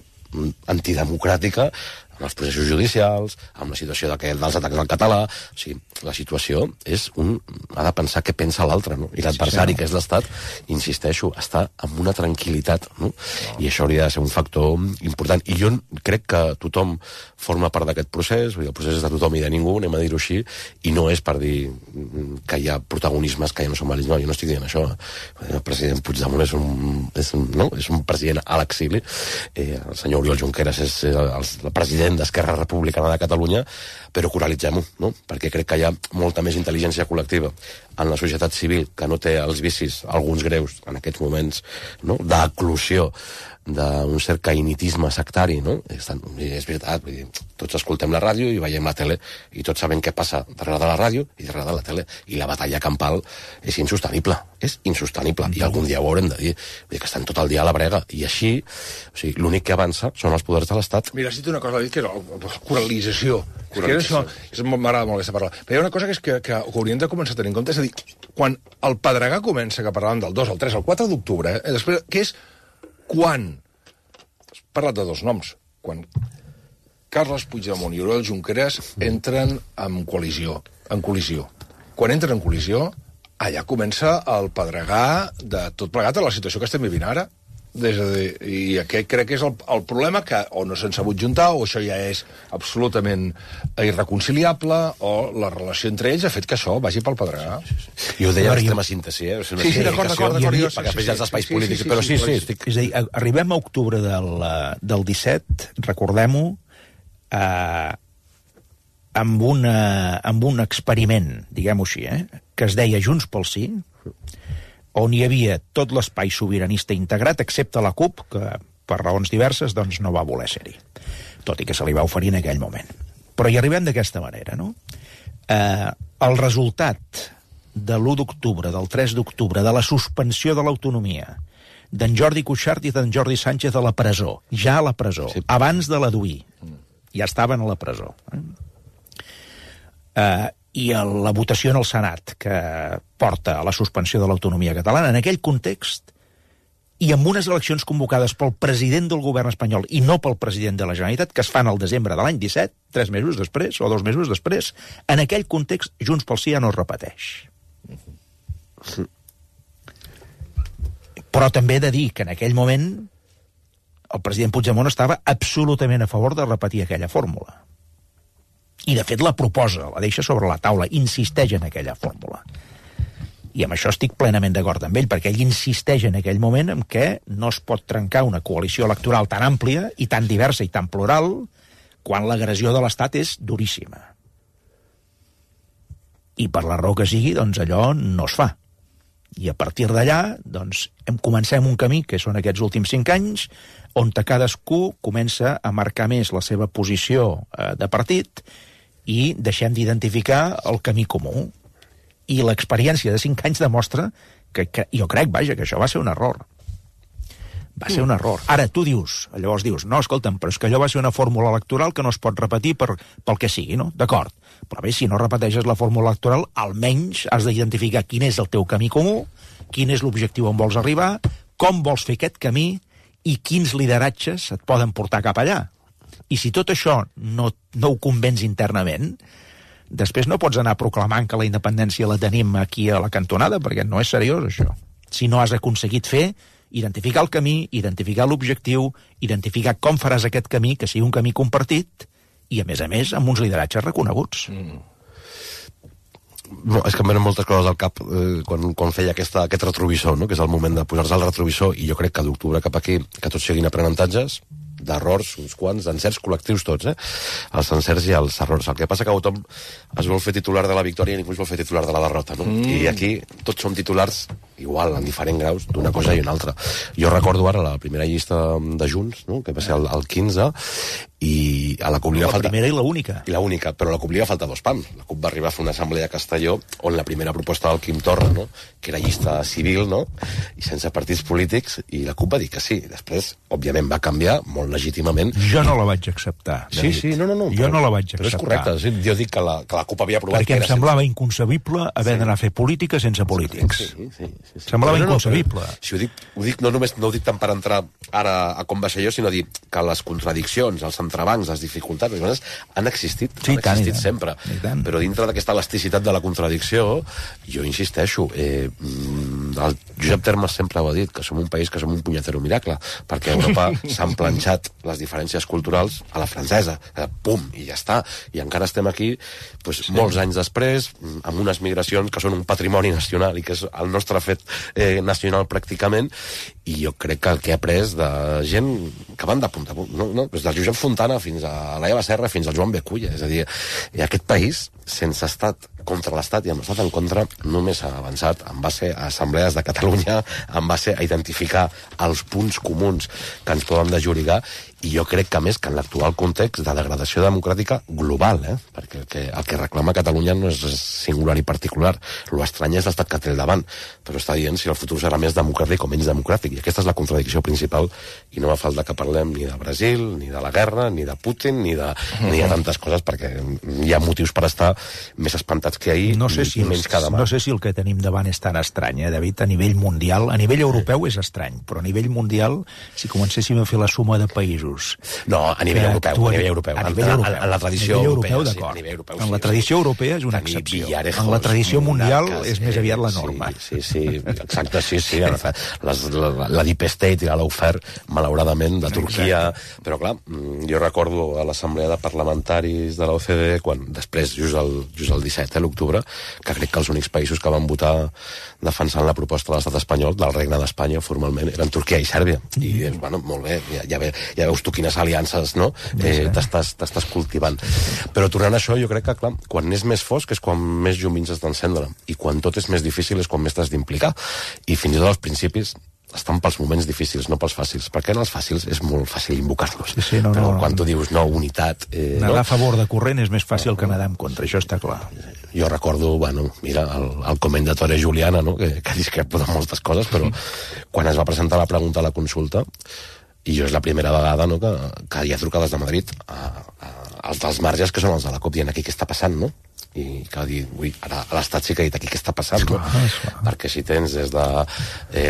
antidemocràtica, amb els processos judicials, amb la situació dels atacs al català. O sigui, la situació és ha de pensar què pensa l'altre, no? I l'adversari, que és l'Estat, insisteixo, està amb una tranquil·litat, no? I això hauria de ser un factor important. I jo crec que tothom forma part d'aquest procés, el procés és de tothom i de ningú, anem a dir-ho així, i no és per dir que hi ha protagonismes que ja no són vàlids. No, jo no estic dient això. El president Puigdemont és un president a l'exili. El senyor Oriol Junqueras és el president d'Esquerra Republicana de Catalunya, però coralitzem-ho, no? Perquè crec que hi ha molta més intel·ligència col·lectiva en la societat civil, que no té els vicis, alguns greus, en aquests moments, no?, d'eclusió d'un cert caïnitisme sectari, no? És veritat, vull dir, tots escoltem la ràdio i veiem la tele, i tots sabem què passa darrere de la ràdio i darrere de la tele, i la batalla campal és insostenible, i algun dia ho haurem de dir, vull dir que estan tot el dia a la brega, i així, o sigui, l'únic que avança són els poders de l'Estat. Mira, has dit una cosa, que era la coralització. M'agrada molt aquesta paraula. Però hi ha una cosa que hauríem de començar a tenir en compte, és a dir, quan el Pedregà comença, que parlàvem del 2, el 3, el 4 d'octubre, després, que és quan... Has parlat de dos noms. Quan Carles Puigdemont i Oriol Junqueras entren en col·lisió. Quan entren en col·lisió, allà comença el Pedregà de tot plegat a la situació que estem vivint ara. I aquest crec que és el problema, que o no s'han sabut juntar, o això ja és absolutament irreconciliable, o la relació entre ells ha fet que això vagi pel Pedregà. I ho deia l'extrema síntesi, Sí, d'acord. Perquè després hi ha els espais polítics, però sí. És a dir, arribem a octubre del 17, recordem-ho, amb un experiment, diguem-ho així, que es deia Junts pel Sí, on hi havia tot l'espai sobiranista integrat, excepte la CUP, que per raons diverses doncs, no va voler ser-hi, tot i que se li va oferir en aquell moment. Però hi arribem d'aquesta manera, no? El resultat de l'1 d'octubre, del 3 d'octubre, de la suspensió de l'autonomia, d'en Jordi Cuixart i d'en Jordi Sánchez a la presó, ja a la presó, abans de l'Aduí, ja estaven a la presó. I la votació en el Senat, que porta a la suspensió de l'autonomia catalana, en aquell context, i amb unes eleccions convocades pel president del govern espanyol i no pel president de la Generalitat, que es fan al desembre de l'any 17, 3 mesos després, o 2 mesos després, en aquell context, Junts pel Sí ja no es repeteix. Però també he de dir que en aquell moment el president Puigdemont estava absolutament a favor de repetir aquella fórmula. I, de fet, la proposa, la deixa sobre la taula, insisteix en aquella fórmula. I amb això estic plenament d'acord amb ell, perquè ell insisteix en aquell moment en què no es pot trencar una coalició electoral tan àmplia i tan diversa i tan plural quan l'agressió de l'Estat és duríssima. I per la raó que sigui, doncs allò no es fa. I a partir d'allà, doncs, comencem un camí, que són aquests últims 5 anys, on cadascú comença a marcar més la seva posició de partit i deixem d'identificar el camí comú. I l'experiència de 5 anys demostra que jo crec, vaja, que això va ser un error. Va ser un error. Ara, tu dius, llavors dius, no, escolta'm, però és que allò va ser una fórmula electoral que no es pot repetir pel que sigui, no? D'acord. Però bé, si no repeteixes la fórmula electoral, almenys has d'identificar quin és el teu camí comú, quin és l'objectiu on vols arribar, com vols fer aquest camí i quins lideratges et poden portar cap allà. I si tot això no ho convenç internament, després no pots anar proclamant que la independència la tenim aquí a la cantonada, perquè no és seriós, això. Si no has aconseguit identificar el camí, identificar l'objectiu, identificar com faràs aquest camí, que sigui un camí compartit, i, a més, amb uns lideratges reconeguts. No, és que em venen moltes coses al cap quan feia aquest retrovisor, no? Que és el moment de posar-se al retrovisor, i jo crec que d'octubre cap aquí, que tots siguin aprenentatges, d'errors, uns quants, d'encerts col·lectius tots, els encerts i els errors. El que passa que tothom es vol fer titular de la victòria i ningú es vol fer titular de la derrota, no? I aquí tots som titulars igual, en diferents graus, d'una cosa i una altra. Jo recordo ara la primera llista de Junts, no? Que va ser el 15, i a la CUP li va faltar... La primera i l'única. I l'única, però a la CUP li va faltar 2 pams. La CUP va arribar a fer una assemblea a Castelló on la primera proposta del Quim Torra, no? Que era llista civil, no? I sense partits polítics, i la CUP va dir que sí. Després, òbviament, va canviar molt legítimament. Jo no la vaig acceptar. Sí, no. Jo no la vaig acceptar. Però és correcte. Jo dic que la CUP havia aprovat... Perquè em semblava inconcebible haver d'anar a fer política sense polítics. Sí. Semblava inconcebible. Si ho dic, no ho dic tant per entrar ara a com va ser jo, sinó dir que les contradiccions, els entrebancs, les dificultats, han existit, sempre. Però dintre d'aquesta elasticitat de la contradicció, jo insisteixo, el Josep Termes sempre ho ha dit, que som un país que som un punyetero miracle, perquè a Europa s'han planxat les diferències culturals a la francesa, pum, i ja està. I encara estem aquí, molts anys després, amb unes migracions que són un patrimoni nacional i que és el nostre fet nacional pràcticament, i jo crec que el que he après de gent que van de punta a punt, des del Josep Fontana fins a l'Eva Serra fins al Joan Beculla, és a dir, aquest país sense estat contra l'estat i amb l'estat en contra només ha avançat en base a assemblees de Catalunya, en base a identificar els punts comuns que ens poden desllorigar, I jo crec que, a més, que en l'actual context de degradació democràtica global, perquè el que reclama Catalunya no és singular i particular. L'estrany és l'estat que té al davant, però està dient si el futur serà més democràtic o menys democràtic. I aquesta és la contradicció principal, i no fa falta que parlem ni de Brasil, ni de la guerra, ni de Putin, ni de tantes coses, perquè hi ha motius per estar més espantats que ahir i menys que demà. No sé si el que tenim davant és tan estrany, David, a nivell mundial. A nivell europeu és estrany, però a nivell mundial, si comencéssim a fer la suma de països... No, a nivell europeu. En la tradició europea, d'acord. En la tradició europea és una excepció. En la tradició mundial és més aviat la norma. Sí, exacte, sí. La Deep State i la Lawfare, malauradament, de Turquia. Però, clar, jo recordo a l'assemblea de parlamentaris de l'OCDE, quan després, just el 17, l'octubre, que crec que els únics països que van votar defensant la proposta de l'estat espanyol, del Regne d'Espanya, formalment, eren Turquia i Sèrbia. I, bueno, molt bé, ja veus tu quines aliances, no? T'estàs cultivant. Però tornant a això, jo crec que, clar, quan és més fosc és quan més llumins has d'encendre, i quan tot és més difícil és quan més t'has d'implicar. I fins i tot als principis estan pels moments difícils, no pels fàcils. Perquè en els fàcils és molt fàcil invocar-los. Però quan tu dius, no, unitat... Nedar a favor de corrent és més fàcil que nedar en contra, això està clar. Jo recordo, mira, el Commendatore Juliana, no? que discrepo de moltes coses, però quan es va presentar la pregunta a la consulta, i jo és la primera vegada, no?, que hi ha trucades de Madrid als dels marges, que són els de la COP, dient aquí què està passant, no? I cal dir, ara l'Estat sí que ha dit aquí què està passant, no? Perquè si tens des de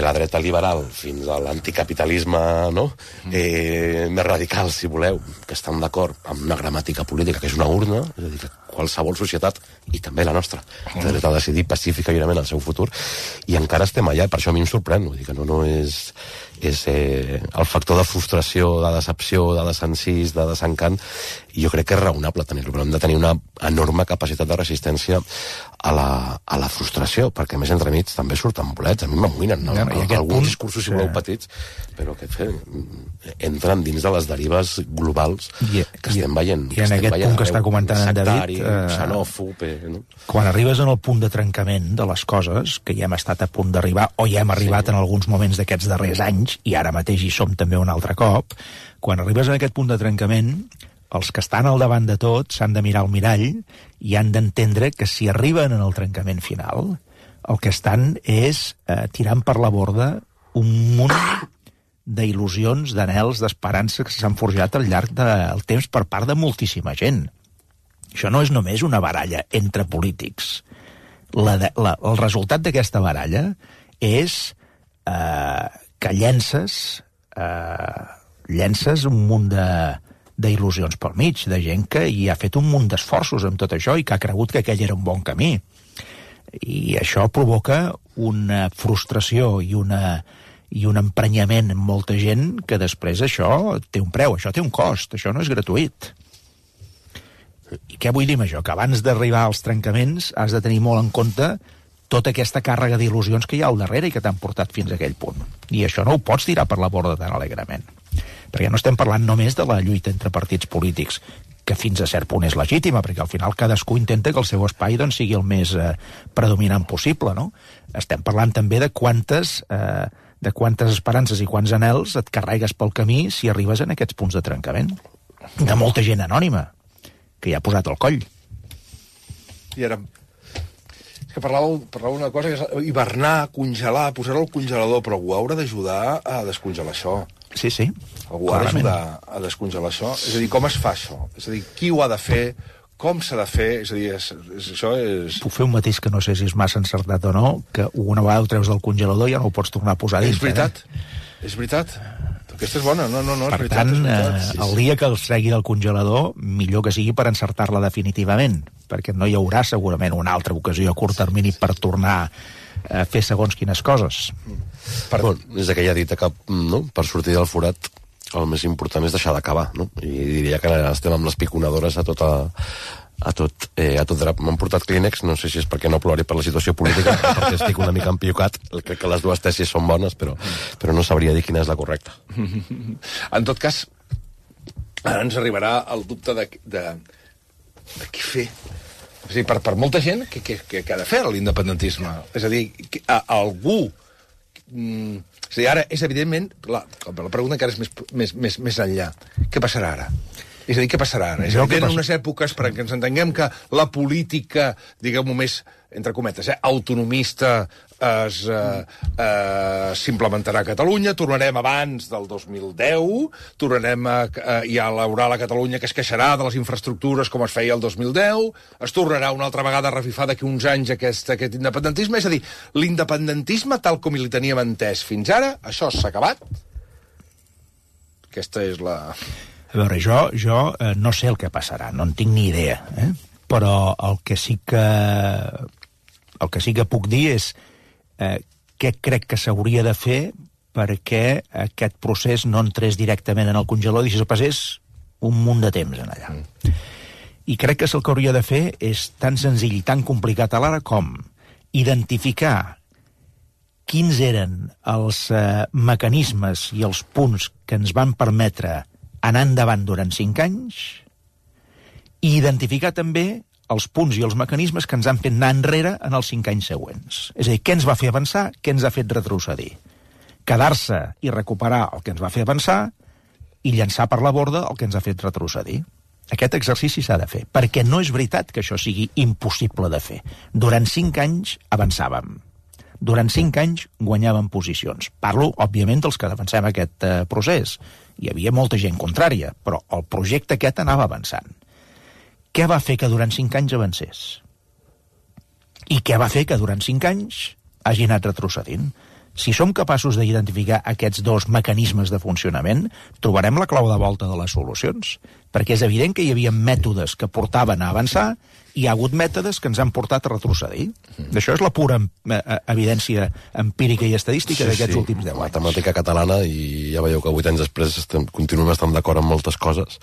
la dreta liberal fins a l'anticapitalisme, no? Més radical, si voleu, que estan d'acord amb una gramàtica política que és una urna, és a dir, que qualsevol societat, i també la nostra, té dret a decidir pacífica i lliurement el seu futur, i encara estem allà, i per això a mi em sorprèn, vull dir que no és el factor de frustració, de decepció, de desencís, de desencant, i jo crec que és raonable tenir-lo, però hem de tenir una enorme capacitat de resistència a la frustració, perquè més entremig també surten bolets, a mi m'amoïnen, no? Alguns discursos, si voleu, petits, però que entren dins de les derives globals que estem veient. I en aquest punt que està comentant en David, xenòfob, no? Quan arribes en el punt de trencament de les coses, que ja hem estat a punt d'arribar, o ja hem arribat en alguns moments d'aquests darrers anys, i ara mateix hi som també un altre cop, quan arribes en aquest punt de trencament, els que estan al davant de tot s'han de mirar al mirall i han d'entendre que si arriben en el trencament final, el que estan és tirant per la borda un munt d'il·lusions, d'anhels, d'esperances que s'han forjat al llarg del temps per part de moltíssima gent. Això no és només una baralla entre polítics. El resultat d'aquesta baralla és que llences un munt d'il·lusions pel mig, de gent que hi ha fet un munt d'esforços amb tot això i que ha cregut que aquell era un bon camí. I això provoca una frustració i un emprenyament en molta gent que després això té un preu, això té un cost, això no és gratuït. I què vull dir amb això? Que abans d'arribar als trencaments has de tenir molt en compte tota aquesta càrrega d'il·lusions que hi ha al darrere i que t'han portat fins a aquell punt. I això no ho pots tirar per la borda tan alegrement. Perquè no estem parlant només de la lluita entre partits polítics, que fins a cert punt és legítima, perquè al final cadascú intenta que el seu espai doncs, sigui el més predominant possible, no? Estem parlant també de quantes esperances i quants anhels et carregues pel camí si arribes en aquests punts de trencament. De molta gent anònima, que hi ha posat el coll. I ara... que parlava una cosa, que és hivernar, congelar, posar-ho al congelador, però algú haurà d'ajudar a descongelar això. Sí. Algú ha d'ajudar a descongelar això. És a dir, com es fa això? És a dir, qui ho ha de fer? Com s'ha de fer? És a dir, això és... Puc fer un mateix que no sé si és massa encertat o no, que una vegada ho treus del congelador ja no ho pots tornar a posar dins. És veritat. És veritat. Aquesta és bona. No, per és veritat. Per tant, el dia que els tregui del congelador, millor que sigui per encertar-la definitivament, perquè no hi haurà segurament una altra ocasió a curt termini per tornar a fer segons quines coses. És aquella dita que, no?, per sortir del forat el més important és deixar d'acabar, no? I diria que estem amb les piconadores a tot drap. M'han portat Kleenex, no sé si és perquè no plori per la situació política, perquè estic una mica empiocat. Crec que les dues tesis són bones, però no sabria dir quina és la correcta. En tot cas, ara ens arribarà el dubte de què fer. És a dir, per molta gent, què ha de fer l'independentisme? És a dir, algú És a dir, ara és evidentment... La pregunta encara és més enllà. Què passarà ara? És a dir, què passarà ara? És a dir, en unes èpoques, perquè ens entenguem que la política, diguem-ho més, entre cometes, autonomista s'implementarà a Catalunya, tornarem abans del 2010, tornarem hi ha l'oral a Catalunya que es queixarà de les infraestructures com es feia el 2010, es tornarà una altra vegada a revifar d'aquí uns anys aquest independentisme, és a dir, l'independentisme tal com li teníem entès fins ara, això s'ha acabat? Aquesta és la... A veure, jo no sé el que passarà, no en tinc ni idea, però el que sí que puc dir és què crec que s'hauria de fer perquè aquest procés no entrés directament en el congelador i si se'l passés un munt de temps en allà. I crec que el que hauria de fer és tan senzill i tan complicat alhora com identificar quins eren els mecanismes i els punts que ens van permetre anar endavant durant 5 anys i identificar també els punts i els mecanismes que ens han fet anar enrere en els 5 anys següents. És a dir, què ens va fer avançar, què ens ha fet retrocedir. Quedar-se i recuperar el que ens va fer avançar i llançar per la borda el que ens ha fet retrocedir. Aquest exercici s'ha de fer, perquè no és veritat que això sigui impossible de fer. Durant 5 anys avançàvem. Durant 5 anys guanyàvem posicions. Parlo, òbviament, dels que defensem aquest procés. Hi havia molta gent contrària, però el projecte aquest anava avançant. Què va fer que durant 5 anys avancés? I què va fer que durant 5 anys hagi anat retrocedint? Si som capaços d'identificar aquests dos mecanismes de funcionament, trobarem la clau de volta de les solucions. Perquè és evident que hi havia mètodes que portaven a avançar i hi ha hagut mètodes que ens han portat a retrocedir. Això és la pura evidència empírica i estadística d'aquests últims 10 anys. Matemàtica catalana, i ja veieu que 8 anys després continuem estant d'acord amb moltes coses.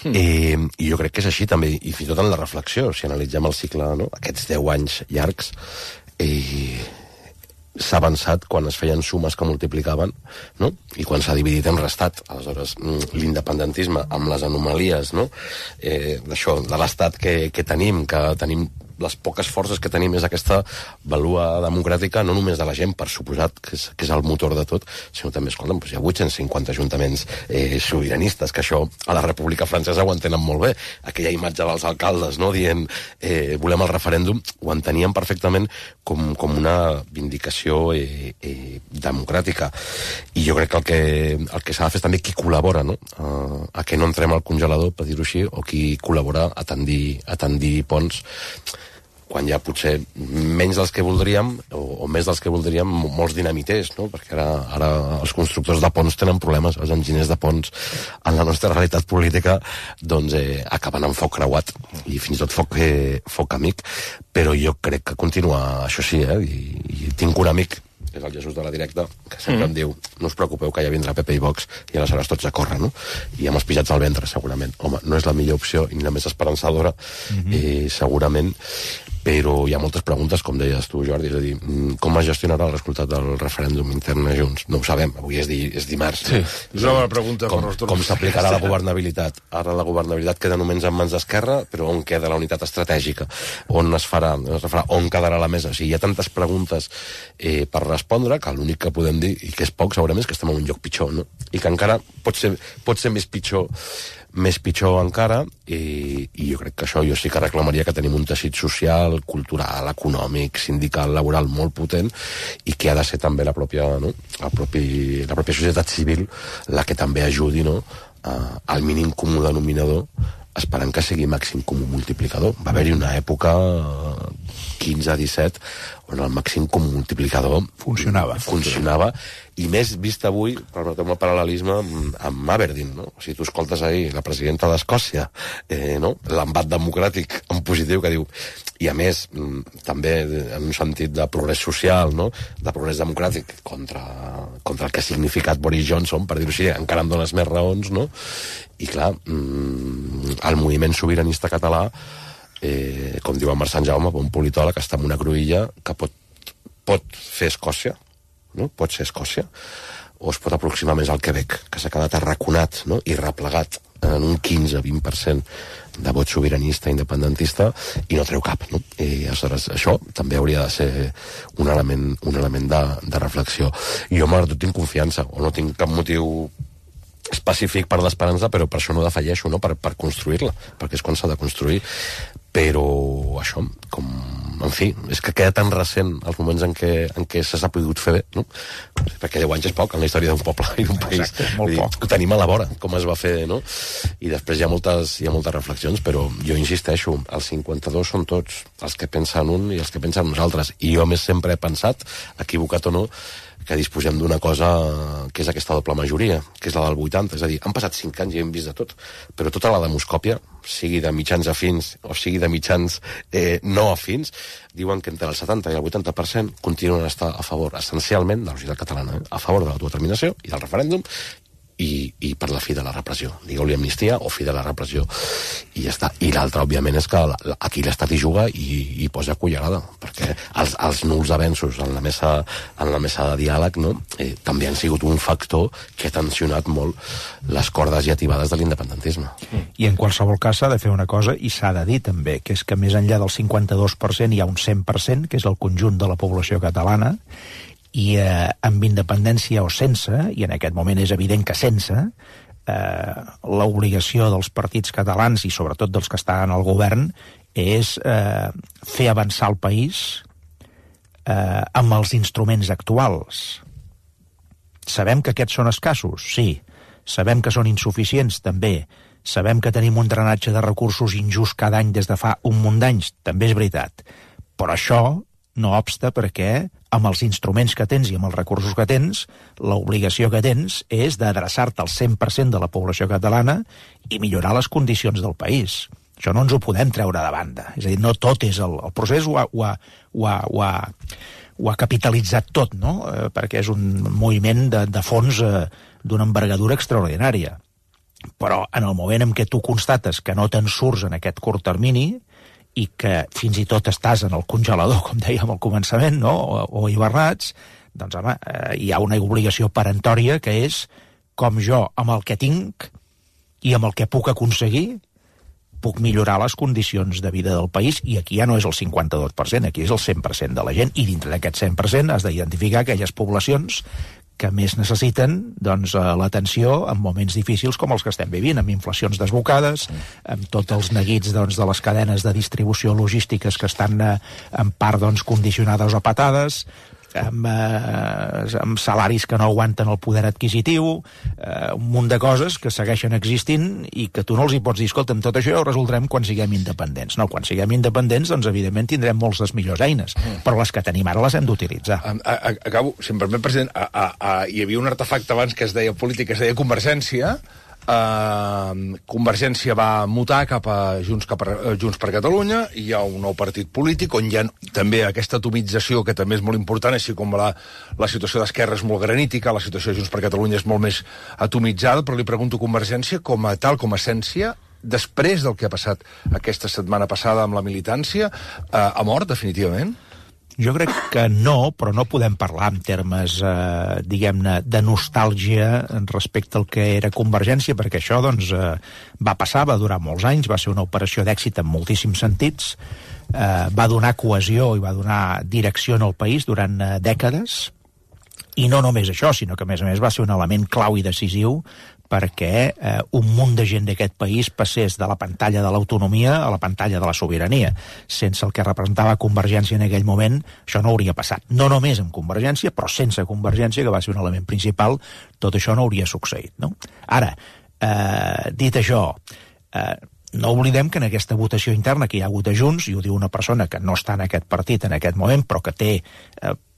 I jo crec que és així també, i fins i tot en la reflexió, si analitzem el cicle, no? Aquests 10 anys llargs, s'ha avançat quan es feien sumes que multiplicaven, no? I quan s'ha dividit hem restat. Aleshores, l'independentisme amb les anomalies, no? D'això, de l'estat que tenim les poques forces que tenim és aquesta valua democràtica, no només de la gent, per suposat, que és el motor de tot, sinó també, escolta'm, hi ha 850 ajuntaments sobiranistes, que això a la República Francesa ho entenen molt bé. Aquella imatge dels alcaldes, no?, dient volem el referèndum, ho entenien perfectament com una vindicació democràtica. I jo crec que el que s'ha de fer és també qui col·labora, no?, a que no entrem al congelador, per dir-ho així, o qui col·labora a tendir ponts, quan hi ha potser menys dels que voldríem, o més dels que voldríem, molts dinamiters, no? Perquè ara els constructors de ponts tenen problemes, els enginyers de ponts, en la nostra realitat política, doncs acaben amb foc creuat, i fins i tot foc amic, però jo crec que continua, això sí, i tinc un amic, és el Jesús de la Directa, que sempre em diu, no us preocupeu que ja vindrà PP i Vox, i aleshores tots a córrer, no? I amb els pijats al ventre, segurament. Home, no és la millor opció, ni la més esperançadora, segurament, però hi ha moltes preguntes, com deies tu, Jordi, és a dir, com es gestionarà el resultat del referèndum intern a Junts? No ho sabem, avui és dimarts. Sí, és una pregunta per nosaltres. Com s'aplicarà la governabilitat? Ara la governabilitat queda només en mans d'Esquerra, però on queda la unitat estratègica? On es farà? On quedarà la mesa? O sigui, hi ha tantes preguntes per respondre que l'únic que podem dir, i que és poc segurament, és que estem en un lloc pitjor, no? I que encara pot ser més pitjor encara, i jo crec que això jo sí que reclamaria que tenim un teixit social, cultural, econòmic, sindical, laboral molt potent, i que ha de ser també la pròpia societat civil la que també ajudi, no?, al mínim comú denominador, esperant que sigui màxim comú multiplicador. Va haver-hi una època 15-17 on el màxim comú multiplicador funcionava, i més vist avui, permeteu-me el paral·lelisme, amb Aberdeen, no? O sigui, tu escoltes ahir la presidenta d'Escòcia, no?, l'embat democràtic en positiu, que diu, i a més, també en un sentit de progrés social, no?, de progrés democràtic contra el que ha significat Boris Johnson, per dir-ho així, encara em dones més raons, no? I clar, el moviment sobiranista català, com diu en Marc Sant Jaume, un politòleg, està en una cruïlla que pot fer Escòcia, no? Pot ser Escòcia, o es pot aproximar més al Quebec, que s'ha quedat arraconat, no?, i replegat en un 15-20% de vot sobiranista independentista i no treu cap, no? I aleshores això també hauria de ser un element de reflexió. Jo malgrat tot tinc confiança, o no tinc cap motiu específic per l'esperança, però per això no defalleixo, no?, per construir-la, perquè és quan s'ha de construir. Però això, com... En fi, és que queda tan recent els moments en què se s'ha pogut fer bé, no? Perquè 10 anys és poc en la història d'un poble i d'un país. Exacte, molt poc. Ho tenim a la vora, com es va fer, no? I després hi ha moltes reflexions, però jo insisteixo, els 52 són tots els que pensen un i els que pensen nosaltres. I jo, a més, sempre he pensat, equivocat o no, que disposem d'una cosa que és aquesta doble majoria, que és la del 80. És a dir, han passat 5 anys i hem vist de tot, però tota la demoscòpia, sigui de mitjans afins o sigui de mitjans no afins, diuen que entre el 70 i el 80% continuen a estar a favor, essencialment, de la societat catalana, a favor de l'autodeterminació i del referèndum, i per la fi de la repressió. Digueu-li amnistia o fi de la repressió. I ja està. I l'altre, òbviament, és que aquí l'Estat hi juga i posa cullerada, perquè els nuls avenços en la mesa de diàleg, no?, també han sigut un factor que ha tensionat molt les cordes llativades de l'independentisme. I en qualsevol cas s'ha de fer una cosa, i s'ha de dir també, que és que més enllà del 52% hi ha un 100%, que és el conjunt de la població catalana, i amb independència o sense, i en aquest moment és evident que sense, l'obligació dels partits catalans i sobretot dels que estan al govern és fer avançar el país amb els instruments actuals. Sabem que aquests són escassos? Sí. Sabem que són insuficients? També. Sabem que tenim un drenatge de recursos injust cada any des de fa un munt d'anys? També és veritat. Però això no obsta perquè amb els instruments que tens i amb els recursos que tens, l'obligació que tens és d'adreçar-te al 100% de la població catalana i millorar les condicions del país. Això no ens ho podem treure de banda. És a dir, no tot és... El procés ho ha capitalitzat tot, no?, perquè és un moviment de fons d'una envergadura extraordinària. Però en el moment en què tu constates que no te'n surts en aquest curt termini i que fins i tot estàs en el congelador, com dèiem al començament, no?, o hivernats, doncs, home, hi ha una obligació peremptòria que és com jo, amb el que tinc i amb el que puc aconseguir, puc millorar les condicions de vida del país, i aquí ja no és el 52%, aquí és el 100% de la gent, i dintre d'aquest 100% has d'identificar aquelles poblacions que més necessiten, doncs, l'atenció en moments difícils com els que estem vivint, amb inflacions desbocades, amb tots els neguits, doncs, de les cadenes de distribució logístiques que estan en part, doncs, condicionades o patades, amb salaris que no aguanten el poder adquisitiu, un munt de coses que segueixen existint i que tu no els hi pots dir, escolta, amb tot això ja ho resoldrem quan siguem independents. No, quan siguem independents, doncs, evidentment, tindrem moltes millors eines, però les que tenim ara les hem d'utilitzar. Acabo, si em permet, president, hi havia un artefacte abans que es deia política, que es deia Convergència. Convergència va mutar cap a Junts per Catalunya, i hi ha un nou partit polític on hi ha també aquesta atomització que també és molt important, així com la situació d'Esquerra és molt granítica, la situació de Junts per Catalunya és molt més atomitzada, però li pregunto, Convergència, com a tal, com a essència, després del que ha passat aquesta setmana passada amb la militància, ha mort definitivament? Jo crec que no, però no podem parlar en termes, diguem-ne, de nostàlgia respecte al que era Convergència, perquè això, doncs, va passar, va durar molts anys, va ser una operació d'èxit en moltíssims sentits, va donar cohesió i va donar direcció al país durant dècades, i no només això, sinó que, a més, va ser un element clau i decisiu perquè un munt de gent d'aquest país passés de la pantalla de l'autonomia a la pantalla de la sobirania. Sense el que representava Convergència en aquell moment, això no hauria passat. No només amb Convergència, però sense Convergència, que va ser un element principal, tot això no hauria succeït, no? Ara, dit això, no oblidem que en aquesta votació interna que hi ha hagut a Junts, i ho diu una persona que no està en aquest partit en aquest moment, però que té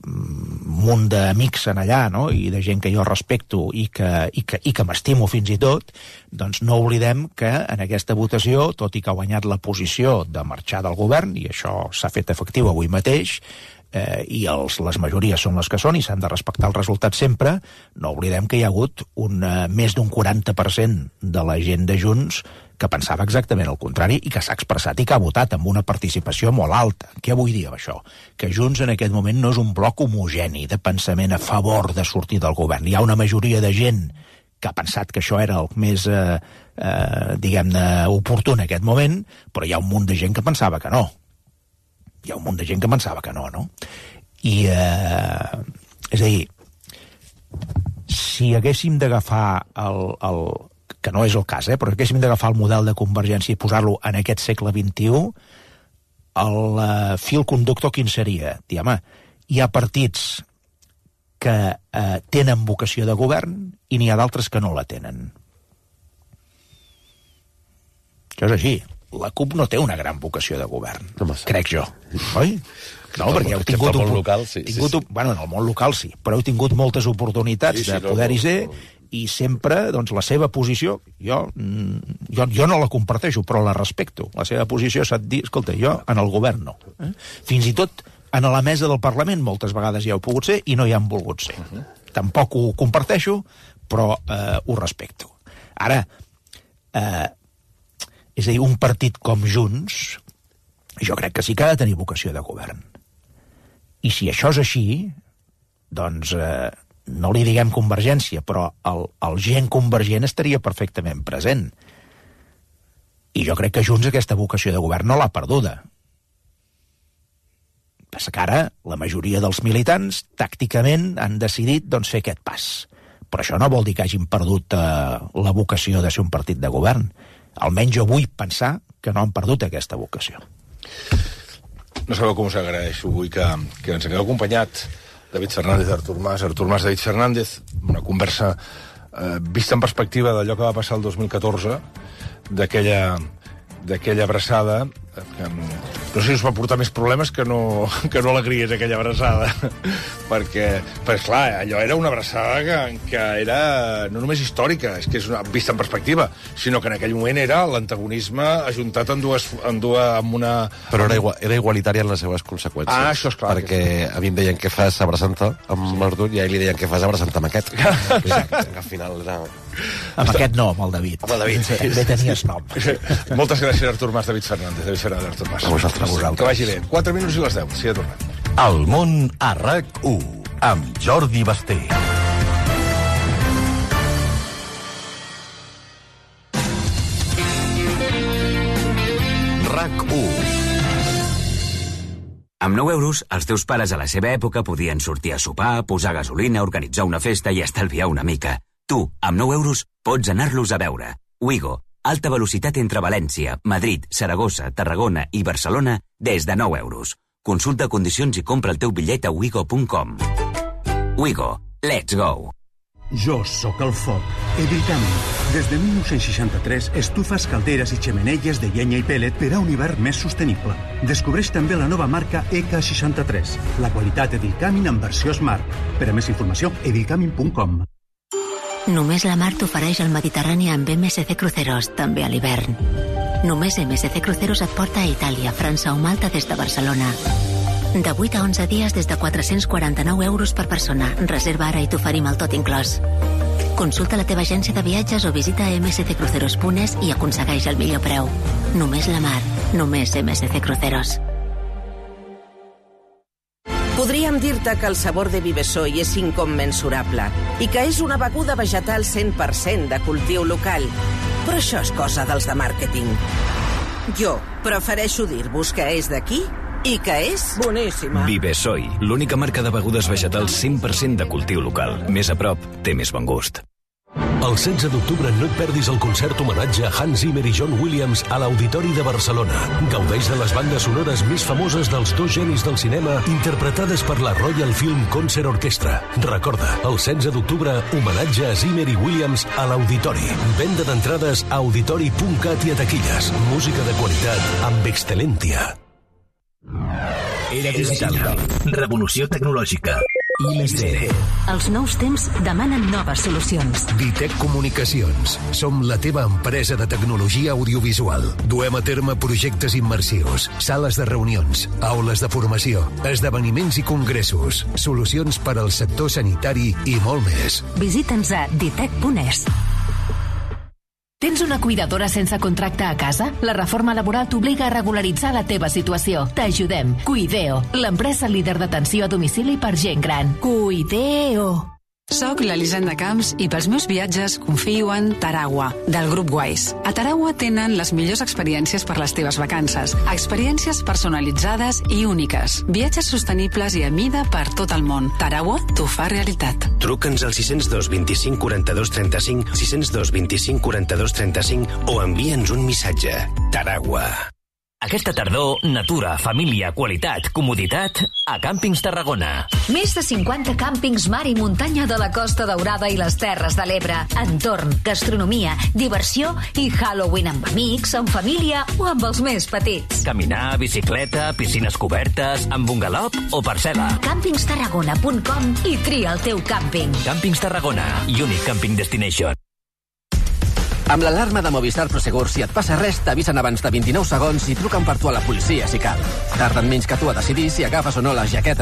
un munt d'amics en allà, no?, i de gent que jo respecto i que m'estimo fins i tot, doncs no oblidem que en aquesta votació, tot i que ha guanyat la posició de marxar del govern, i això s'ha fet efectiu avui mateix, i les majories són les que són i s'han de respectar els resultats sempre, no oblidem que hi ha hagut més d'un 40% de la gent de Junts que pensava exactament el contrari i que s'ha expressat i que ha votat amb una participació molt alta. Què vull dir amb això? Que Junts en aquest moment no és un bloc homogeni de pensament a favor de sortir del govern. Hi ha una majoria de gent que ha pensat que això era el més, diguem-ne, oportú en aquest moment, però hi ha un munt de gent que pensava que no. Hi ha un munt de gent que pensava que no, no? I, és a dir, si haguéssim d'agafar que no és el cas, però haguéssim d'agafar el model de Convergència i posar-lo en aquest segle XXI, el fil conductor quin seria? Dir, home, hi ha partits que tenen vocació de govern i n'hi ha d'altres que no la tenen. Això és així. La CUP no té una gran vocació de govern, crec jo, oi? No, perquè heu tingut... En el món local, sí. Bueno, en el món local sí, però heu tingut moltes oportunitats de poder-hi ser i sempre, doncs, la seva posició, jo no la comparteixo, però la respecto. La seva posició s'ha de dir, escolta, jo en el govern no. Fins i tot en la mesa del Parlament moltes vegades hi heu pogut ser i no hi han volgut ser. Tampoc ho comparteixo, però ho respecto. Ara, és a dir, un partit com Junts, jo crec que sí que ha de tenir vocació de govern. I si això és així, doncs no li diguem Convergència, però el gent convergent estaria perfectament present. I jo crec que Junts aquesta vocació de govern no l'ha perduda. Passa que ara la majoria dels militants tàcticament han decidit doncs, fer aquest pas. Però això no vol dir que hagin perdut la vocació de ser un partit de govern. Almenys jo vull pensar que no han perdut aquesta vocació. No sabeu com us agraeixo avui que ens hagueu acompanyat David Fernández, Artur Mas, David Fernández, una conversa vista en perspectiva d'allò que va passar el 2014, d'aquella abraçada, que no sé si us va portar més problemes que no alegries, aquella abraçada, perquè clar, allò era una abraçada que era no només històrica, és que és vista en perspectiva, sinó que en aquell moment era l'antagonisme ajuntat amb una... Però era igualitària en les seves conseqüències. Ah, això és clar. Perquè a mi em deien què fas abraçant-te amb l'Artur i a ell li deien què fas abraçant-te amb aquest. Al final era... Amb aquest no, amb el David. Amb el David. També tenies nom. Moltes gràcies, Artur Mas, David Fernández, Artur Mas. A vosaltres. Que vagi bé. 4 minuts i les 10. Sí, ja tornem. El món a RAC1, amb Jordi Basté. RAC1. Amb 9 euros, els teus pares a la seva època podien sortir a sopar, posar gasolina, organitzar una festa i estalviar una mica. Tu, amb 9 euros, pots anar-los a veure. Wigo, alta velocitat entre València, Madrid, Saragossa, Tarragona i Barcelona des de 9 euros. Consulta condicions i compra el teu bitllet a wigo.com. Wigo, let's go! Jo sóc el foc. Edilcami. Des de 1963, estufes, calderes i xemeneies de llenya i pèl·let per a un hivern més sostenible. Descobreix també la nova marca EK63, la qualitat Edilcamin en versió Smart. Per a més informació, edilcamin.com. Només la mar t'ofereix el Mediterrani amb MSC Cruceros, també a l'hivern. Només MSC Cruceros et porta a Itàlia, França o Malta des de Barcelona. De 8 a 11 dies des de 449 euros per persona. Reserva ara i t'oferim el tot inclòs. Consulta la teva agència de viatges o visita msccruceros.es i aconsegueix el millor preu. Només la mar, només MSC Cruceros. Podríem dir-te que el sabor de Vivesoy és incommensurable i que és una beguda vegetal 100% de cultiu local. Però això és cosa dels de màrqueting. Jo prefereixo dir-vos que és d'aquí i que és boníssima. Vivesoy, l'única marca de begudes vegetals 100% de cultiu local. Més a prop, té més bon gust. El 16 d'octubre no et perdis el concert homenatge a Hans Zimmer i John Williams a l'Auditori de Barcelona. Gaudeix de les bandes sonores més famoses dels dos genis del cinema interpretades per la Royal Film Concert Orchestra. Recorda, el 16 d'octubre, homenatge a Zimmer i Williams a l'Auditori. Venda d'entrades a auditori.cat i a taquilles. Música de qualitat amb Excelentia. Era digital. Revolució tecnològica. I+D. Els nous temps demanen noves solucions. Ditec Comunicacions. Som la teva empresa de tecnologia audiovisual. Duem a terme projectes immersius, sales de reunions, aules de formació, esdeveniments i congressos, solucions per al sector sanitari i molt més. Visita'ns a ditec.es. Tens una cuidadora sense contracte a casa? La reforma laboral t'obliga a regularitzar la teva situació. T'ajudem. Cuideo, l'empresa líder d'atenció a domicili per gent gran. Cuideo. Soc l'Elisenda Camps i pels meus viatges confio en Taragua, del grup Wise. A Taragua tenen les millors experiències per les teves vacances. Experiències personalitzades i úniques. Viatges sostenibles i a mida per tot el món. Taragua t'ho fa realitat. Truca'ns al 602 25 42 35, 602 25 42 35 o envia'ns un missatge. Taragua. Aquesta tardor, natura, família, qualitat, comoditat a Càmpings Tarragona. Més de 50 càmpings mar i muntanya de la Costa Daurada i les Terres de l'Ebre. Entorn, gastronomia, diversió i Halloween amb amics, amb família o amb els més petits. Caminar, bicicleta, piscines cobertes, amb bungalop o parcel·la. Campingstarragona.com i tria el teu càmping. Càmpings Tarragona, Unique Camping Destination. Amb l'alarma de Movistar Prosegur, si et passa res, t'avisen abans de 29 segons i truquen per tu a la policia si cal. Tarden menys que tu a decidir si agafes o no la jaqueta